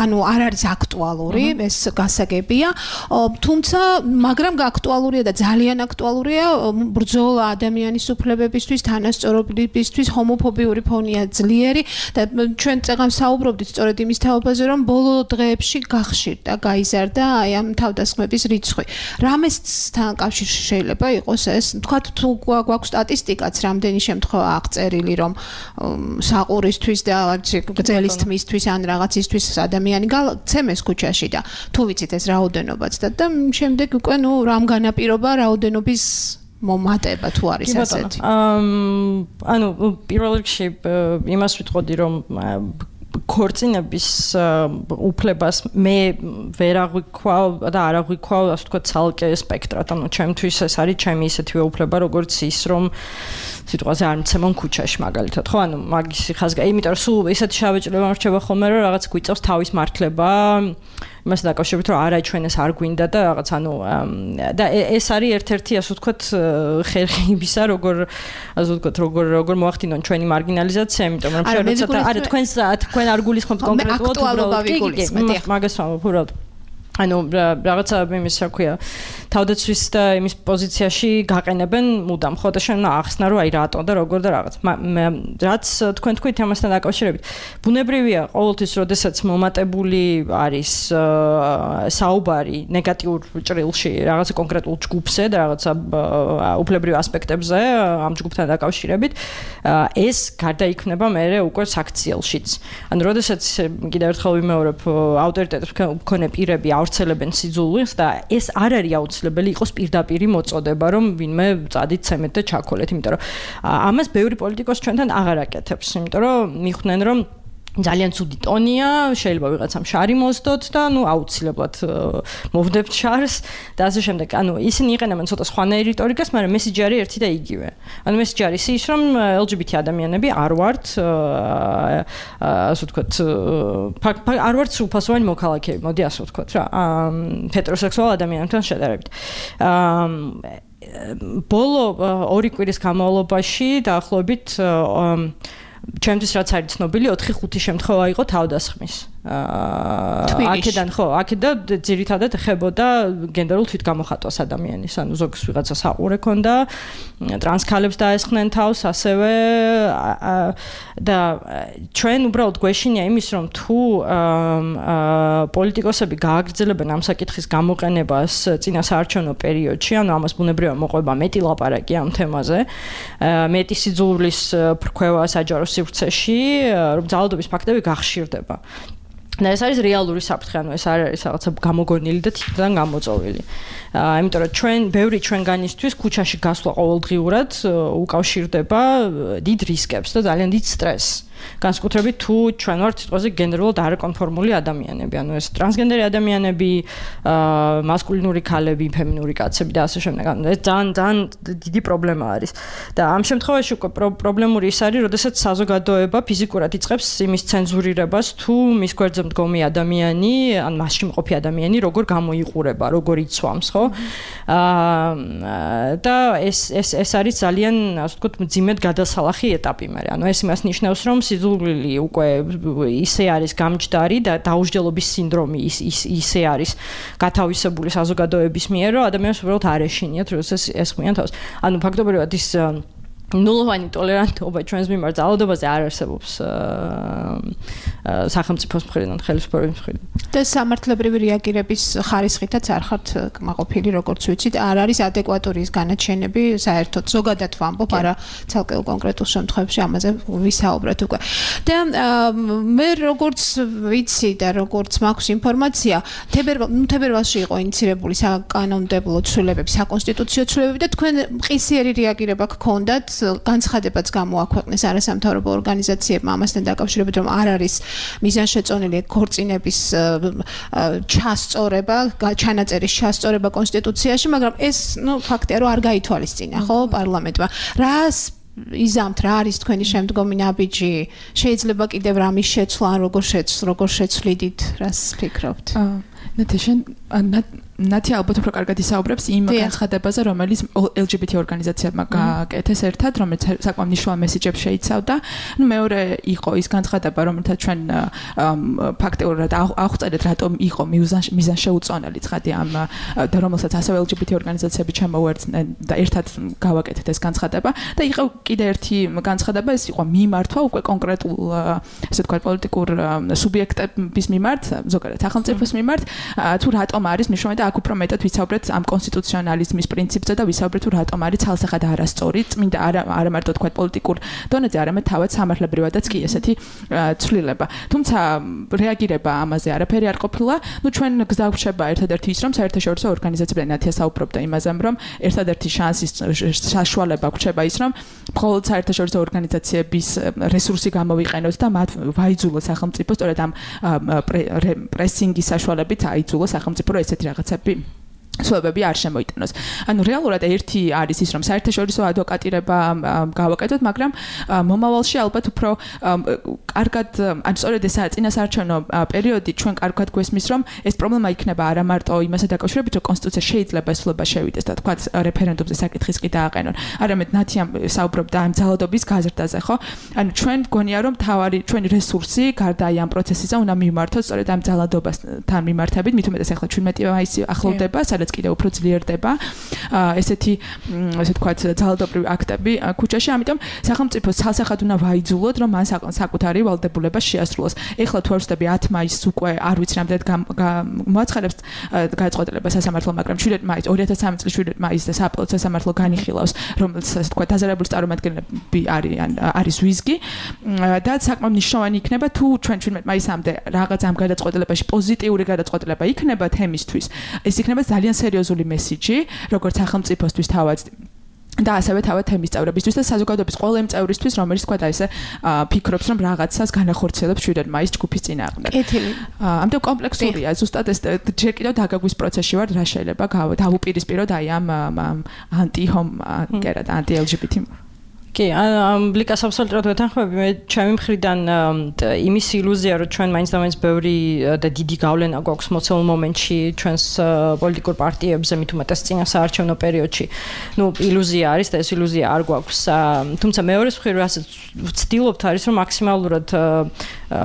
ანუ არ არის აქტუალური, ეს გასაგებია. მიზანია, თუმცა მაგრამ აქტუალურია და ძალიან აქტუალურია ბრძოლა ადამიანის უფლებებისთვის, თანასწორობისთვის, ჰომოფობიური ფონია ძლიერი და ჩვენ წეგან საუბრობდით სწორედ იმის თაობაზე, რომ ბოლო დღეებში გახშირდა, გაიზარდა აი ამ თავდასხმების რიცხვი. რამესთან კავშირში შეიძლება იყოს ეს? თქვათ თუ გვაქვს სტატისტიკაც, რამდენი შემთხვევა აღწერილი, რომ საყურისთვის და გრძელის თმისთვის ან რაღაცისთვის ადამიანი გაცემეს ქუჩაში და თუ ვიცით ეს რაოდენობაც და შემდეგ უკვე რამ განაპირობა რაოდენობის მომატება თუ არის ასეთი. ანუ პირველ რიგში იმას ვიტყოდი, რომ ქორწინების უფლებას მე ვერ აღვიქვავ და არ აღვიქვავ, ასე ვთქვათ, ცალკე სპექტრად. ანუ ჩემთვის ეს არის ჩემი ისეთივე უფლება, როგორც ის, რომ სიტყვაზე არ მცემონ ქუჩაში მაგალითად, ხო? ანუ მაგის ხაზგა, იმიტომ რომ სულ ისეთი შავეჭრება მრჩება ხოლმე, რომ რაღაც გვიწევს თავის მართლება, იმასთან დაკავშირებით, რომ არა ჩვენ ეს არ გვინდა და რაღაც ანუ და ეს არის ერთ-ერთი, ასე ვთქვათ, ხერხი იმისა, როგორ ასე ვთქვათ, როგორ მოახდინონ ჩვენი მარგინალიზაცია, იმიტომ რომ ჩვენ როცა არა თქვენ არ გულისხმობთ კონკრეტულად უბრალოდ მაგას ვამბობ. ანუ რაღაცა იმის რა ქვია თავდაცვის და იმის პოზიციაში გაყენებენ მუდამ ხო და შენ ახსნა რომ აი რატო და როგორ და რაღაც რაც თქვენ თქვით ამასთან დაკავშირებით ბუნებრივია ყოველთვის როდესაც მომატებული არის საუბარი ნეგატიურ ჭრილში რაღაცა კონკრეტულ ჯგუფზე და რაღაცა უფლებრივ ასპექტებზე ამ ჯგუფთან დაკავშირებით ეს გარდაიქმნება მერე უკვე საქციელშიც ანუ როდესაც კიდევ ერთხელ ვიმეორებ ავტორიტეტებს მქონე პირები ავრცელებენ სიძულვილს და ეს არ არის აუცილებელი იყოს პირდაპირი მოწოდება რომ ვინმე წადით ცემეთ და ჩაქოლეთ იმიტომ რომ ამას ბევრი პოლიტიკოსი ჩვენთან აღარ აკეთებს იმიტომ რომ მიხვდნენ რომ ძალიან ცუდი ტონია შეიძლება ვიღაცამ შარი მოსდოთ და ნუ აუცილებლად მოვდებთ შარს და ასე შემდეგ ანუ ისინი იყენებენ ცოტა სხვანაირ რიტორიკას მაგრამ მესიჯი არის ერთი და იგივე ანუ მესიჯი არის ის რომ LGBT ადამიანები არ ვართ ასე ვთქვათ არ ვართ სრულფასოვანი მოქალაქეები მოდი ასე ვთქვათ რა ჰეტეროსექსუალ ადამიანებთან შედარებით ბოლო 2 კვირის განმავლობაში დაახლოებით ჩემთვის რაც არის ცნობილი 4-5 შემთხვევა იყო თავდასხმის. აქედან ხო, აქედან ძირითადად ეხებოდა გენდერულ თვითგამოხატვას ადამიანის, ანუ ზოგს ვიღაცა საყურე ქონდა, ტრანსქალებს დაესხნენ თავს, ასევე და ჩვენ უბრალოდ გვეშინია იმის, რომ თუ პოლიტიკოსები გააგრძელებენ ამ საკითხის გამოყენებას წინასაარჩევნო პერიოდში, ანუ ამას ბუნებრივია მოყვება მეტი ლაპარაკი ამ თემაზე, მეტი სიძულვილის ფრქვევა საჯარო სივრცეში, რომ ძალადობის ფაქტები გახშირდება. და ეს არის რეალური საფრთხე, ანუ ეს არ არის რაღაცა გამოგონილი და თვითონ გამოწოვილი. იმიტომ რომ ჩვენ ბევრი ჩვენგანისთვის ქუჩაში გასვლა ყოველდღიურად უკავშირდება დიდ რისკებს და ძალიან დიდ სტრესს. განსაკუთრებით თუ ჩვენ ვართ სიტყვაზე გენდერულად არაკონფორმული ადამიანები, ანუ ეს ტრანსგენდერი ადამიანები, მასკულინური ქალები, ფემინური კაცები და ასე შემდეგ. ანუ ეს ძალიან დიდი პრობლემა არის. და ამ შემთხვევაში უკვე პრობლემური ის არის, როდესაც საზოგადოება ფიზიკურად იწყებს იმის ცენზურირებას, თუ მის გვერდზე მდგომი ადამიანი, ან მასში მყოფი ადამიანი როგორ გამოიყურება, როგორ იცვამს, ხო? და ეს არის ძალიან, ასე ვთქვათ, მძიმედ გადასალახი ეტაპი მე. ანუ ეს იმას ნიშნავს, რომ სიძულვილი უკვე ისე არის გამჯდარი და დაუსჯელობის სინდრომი ისე არის გათავისებული საზოგადოების მიერ, რომ ადამიანს უბრალოდ არ ეშინიათ, როდესაც ესხმიან თავს. ანუ ფაქტობრივად ის ნულოვანი ტოლერანტობა ჩვენს მიმართ ძალადობაზე არ არსებობს სახელმწიფოს მხრიდან, ხელისუფლების მხრიდან. და სამართლებრივი რეაგირების ხარისხითაც არ ხართ კმაყოფილი, როგორც ვიცით, არ არის ადეკვატური ის განაჩენები, საერთოდ ზოგადად ვამბობ, არა ცალკეულ კონკრეტულ შემთხვევებში ამაზე ვისაუბრეთ უკვე. და მე როგორც ვიცი და როგორც მაქვს ინფორმაცია, თებერვალში იყო ინიცირებული საკანონმდებლო ცვლილებები, საკონსტიტუციო ცვლილებები და თქვენ მყისიერი რეაგირება გქონდათ განცხადებაც გამოაქვეყნეს არასამთავრობო ორგანიზაციებმა ამასთან დაკავშირებით, რომ არ არის მიზანშეწონილი ქორწინების ჩასწორება, ჩანაწერის ჩასწორება კონსტიტუციაში, მაგრამ ეს, ფაქტია, რომ არ გაითვალისწინა, ხო, პარლამენტმა. რას იზამთ, რა არის თქვენი შემდგომი ნაბიჯი? შეიძლება კიდევ რამის შეცვლა, ან როგორ შეცვლიდით, რას ფიქრობთ? ნათი ალბათ უფრო კარგად ისაუბრებს იმ განცხადებაზე, რომელიც LGBT ორგანიზაციებმა გააკეთეს ერთად, რომელიც საკმაოდ მნიშვნელოვან მესიჯებს შეიცავდა. მეორე იყო ის განცხადება, რომელთაც ჩვენ ფაქტიურად აღწერეთ, რატომ იყო მიზანშეუწონელი ცხადი ამ და რომელსაც ასევე LGBT ორგანიზაციები ჩამოუერთდნენ და ერთად გავაკეთეთ ეს განცხადება და იყო კიდე ერთი განცხადება, ეს იყო მიმართვა უკვე კონკრეტულ ესე ვთქვათ პოლიტიკურ სუბიექტების მიმართ, ზოგადად სახელმწიფოს მიმართ, თუ რატომ არის მნიშვნელოვანი და აქ უფრო მეტად ვისაუბრეთ ამ კონსტიტუციონალიზმის პრინციპზე და ვისაუბრეთ თუ რატომ არის ცალსახად არასწორი, წმინდა არა მარტო თქვათ პოლიტიკურ დონეზე, არამედ თავად სამართლებრივადაც კი ესეთი ცვლილება. თუმცა რეაგირება ამაზე არაფერი არ ყოფილა. ჩვენ გზა გვჩება ერთადერთი ის, რომ საერთაშორისო ორგანიზაციებთან ნათია საუბრობდა იმაზე, რომ ერთადერთი შანსის საშუალება გვჩება ის, რომ მხოლოდ საერთაშორისო ორგანიზაციების რესურსი გამოვიყენოთ და მათ ვაიძულოთ სახელმწიფო სწორედ ამ პრესინგის საშუალებით აიძულოს სახელმწიფო ესეთი რაღაცები სვებები არ შემოიტანოს. ანუ რეალურად ერთი არის ის, რომ საერთაშორისო ადვოკატირება გავაკეთოთ, მაგრამ მომავალში ალბათ უფრო კარგად, ან სწორედ ეს წინასაარჩევნო პერიოდი ჩვენ კარგად გვესმის, რომ ეს პრობლემა იქნება არა მარტო იმასთან დაკავშირებით, რომ კონსტიტუცია შეიძლება ეს სვლება შევიდეს და თქვა რეფერენდუმზე საკითხის კი დააყენონ. არამედ ნათია საუბრობდა ამ ძალადობის გაზრდაზე, ხო? ანუ ჩვენ გონია, რომ თავარი ჩვენი რესურსი გარდა ამ პროცესისა უნდა მიმართოს სწორედ ამ ძალადობასთან მიმართებით, მით უმეტეს ახლა 17 მაისი ახლოვდება, კიდე უფრო ძლიერდება ესეთი ასე ვთქვათ ძალადობრივი აქტები ქუჩაში, ამიტომ სახელმწიფოს ცალსახად უნდა ვაიძულოთ, რომ მან საკუთარი ვალდებულება შეასრულოს. ეხლა თუ არ ვსწრები 10 მაისს უკვე არ ვიცი რამდენად მოაცხადებს გადაწყვეტილება სასამართლო, მაგრამ 7 მაისს 2013 წლის 7 მაისს და სააპელაციო სასამართლო განიხილავს, რომელიც ასე ვთქვათ დაზარალებული წარმომადგენლები არის ვიზგი და საკმაოდ მნიშვნელოვანი იქნება თუ ჩვენ 17 მაისამდე რაღაც ამ გადაწყვეტილებაში პოზიტიური გადაწყვეტილება იქნება თემისთვის. ეს იქნება ძალიან სერიოზული მესიჯი, როგორც სახელმწიფოსთვის თავად და ასევე თავად თემის წევრებისთვის და საზოგადოების ყველა იმ წევრისთვის, რომელიც თქვა და ესე ფიქრობს, რომ რაღაცას განახორციელებს 7 მაისს ჯგუფის წინააღმდეგ. ამიტომ კომპლექსურია, ზუსტად ეს ჯერ კიდევ დაგაგვის პროცესში ვარ, რა შეიძლება დავუპირისპიროთ აი ამ ანტი-LGBT კი, ბლიკას აბსოლუტურად ვეთანხმები. მე ჩემი მხრიდან იმის ილუზია, რომ ჩვენ მაინც და მაინც ბევრი და დიდი გავლენა გვაქვს მოცემულ მომენტში ჩვენს პოლიტიკურ პარტიებზე, მით უმეტეს წინასაარჩევნო პერიოდში. ილუზია არის და ეს ილუზია არ გვაქვს. თუმცა მეორეს მხრივ რასაც ვცდილობთ არის, რომ მაქსიმალურად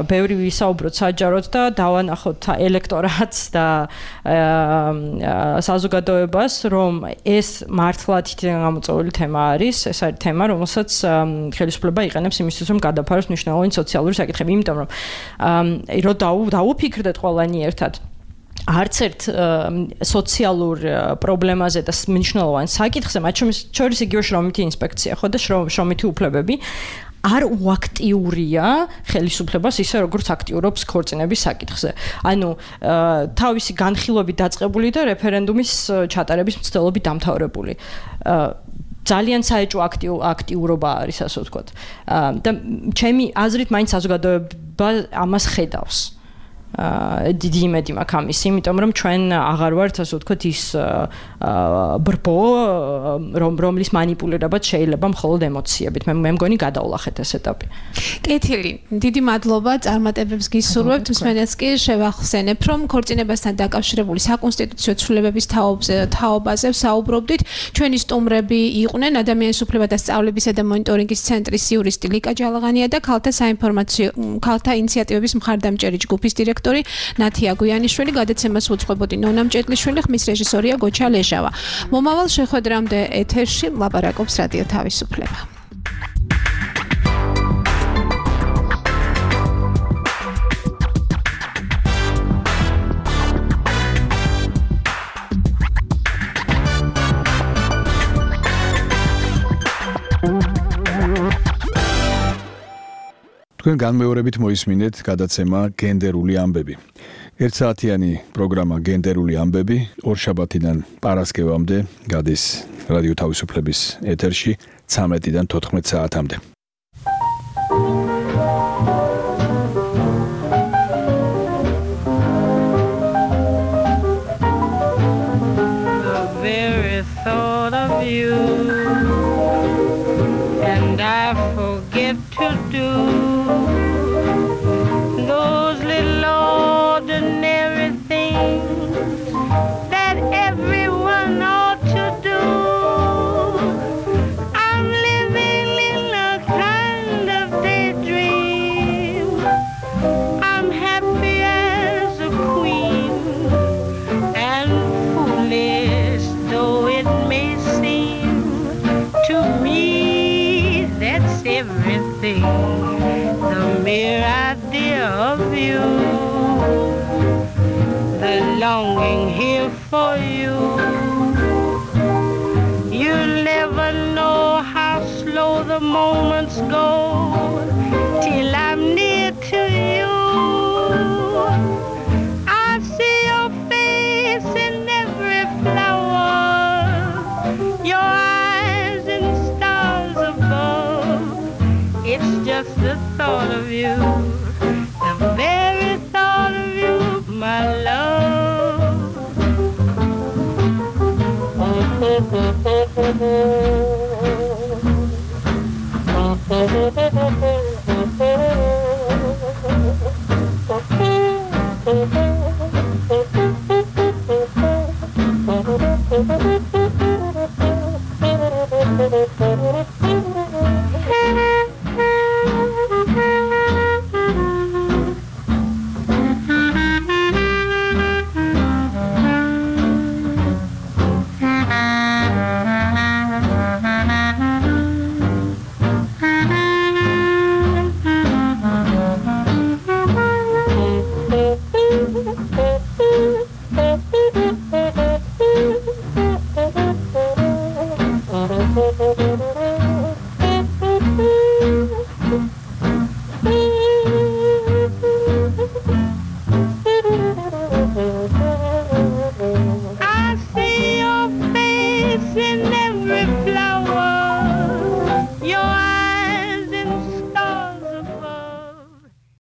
ბევრი ვისაუბროთ საჯაროდ და დავანახოთ ელექტორატს და საზოგადოებას, რომ ეს მართლა თითქმის გამოწვეული თემა არის, ეს არის თემა, რომელსაც ხელისუფლება იყენებს იმისთვის, რომ გადაფაროს მნიშვნელოვანი სოციალური საკითხები, იმიტომ რომ დაუფიქრდეთ ყველანი ერთად არც ერთ სოციალურ პრობლემაზე და მნიშვნელოვან საკითხზე, მათ შორის იგივე შრომითი ინსპექცია, ხო და შრომითი უფლებები არ უაქტიურია ხელისუფლებას ისე როგორც აქტიურობს ქორწინების საკითხზე. ანუ თავისი განხილვებით დაწყებული და რეფერენდუმის ჩატარების მცდელობით დამთავრებული. ძალიან საეჭვო აქტიურობა არის, ასე ვთქვათ. და ჩემი აზრით მაინც საზოგადოება ამას ხედავს. დიდი იმედი მაქვს ამის, იმიტომ რომ ჩვენ აღარ ვართ, ასე ვთქვათ, ის ბრბო, რომლის манипуლირებაც შეიძლება მხოლოდ ემოციებით. მე მგონი გადავლახეთ ეს ეტაპი. კეთილი, დიდი მადლობა, წარმატებებს გისურვებთ. მსმენელს კი შევახსენებ, რომ ქორწინებასთან დაკავშირებული საკონსტიტუციო ცვლილებების თაობაზე ვსაუბრობდით. ჩვენი სტუმრები იყვნენ ადამიანის უფლებათა სწავლებისა და მონიტორინგის ცენტრის იურისტი ლიკა ჯალაღანია და ქალთა ინიციატივების მხარდამჭერი ჯგუფის დირექტორი ნათია გვიანიშვილი. გადაცემას უძღვებოდი ნონა მჭედლიშვილი, ხმის რეჟისორია გოჩა ლეჟავა. მომავალ შეხვედრამდე ეთერში ლაპარაკობს რადიო თავისუფლება. თქვენ განმეორებით მოისმინეთ გადაცემა გენდერული ამბები. ერთსაათიანი პროგრამა გენდერული ამბები ორშაბათიდან პარასკევამდე გადის რადიო თავისუფლების ეთერში 13-დან 14 საათამდე. The very thought of you and I forget to do those little ordinary things for you. You'll never know how slow the moments go till I'm near to you. I see your face in every flower, your eyes in stars above. It's just the thought of you, the very thought of you, my love.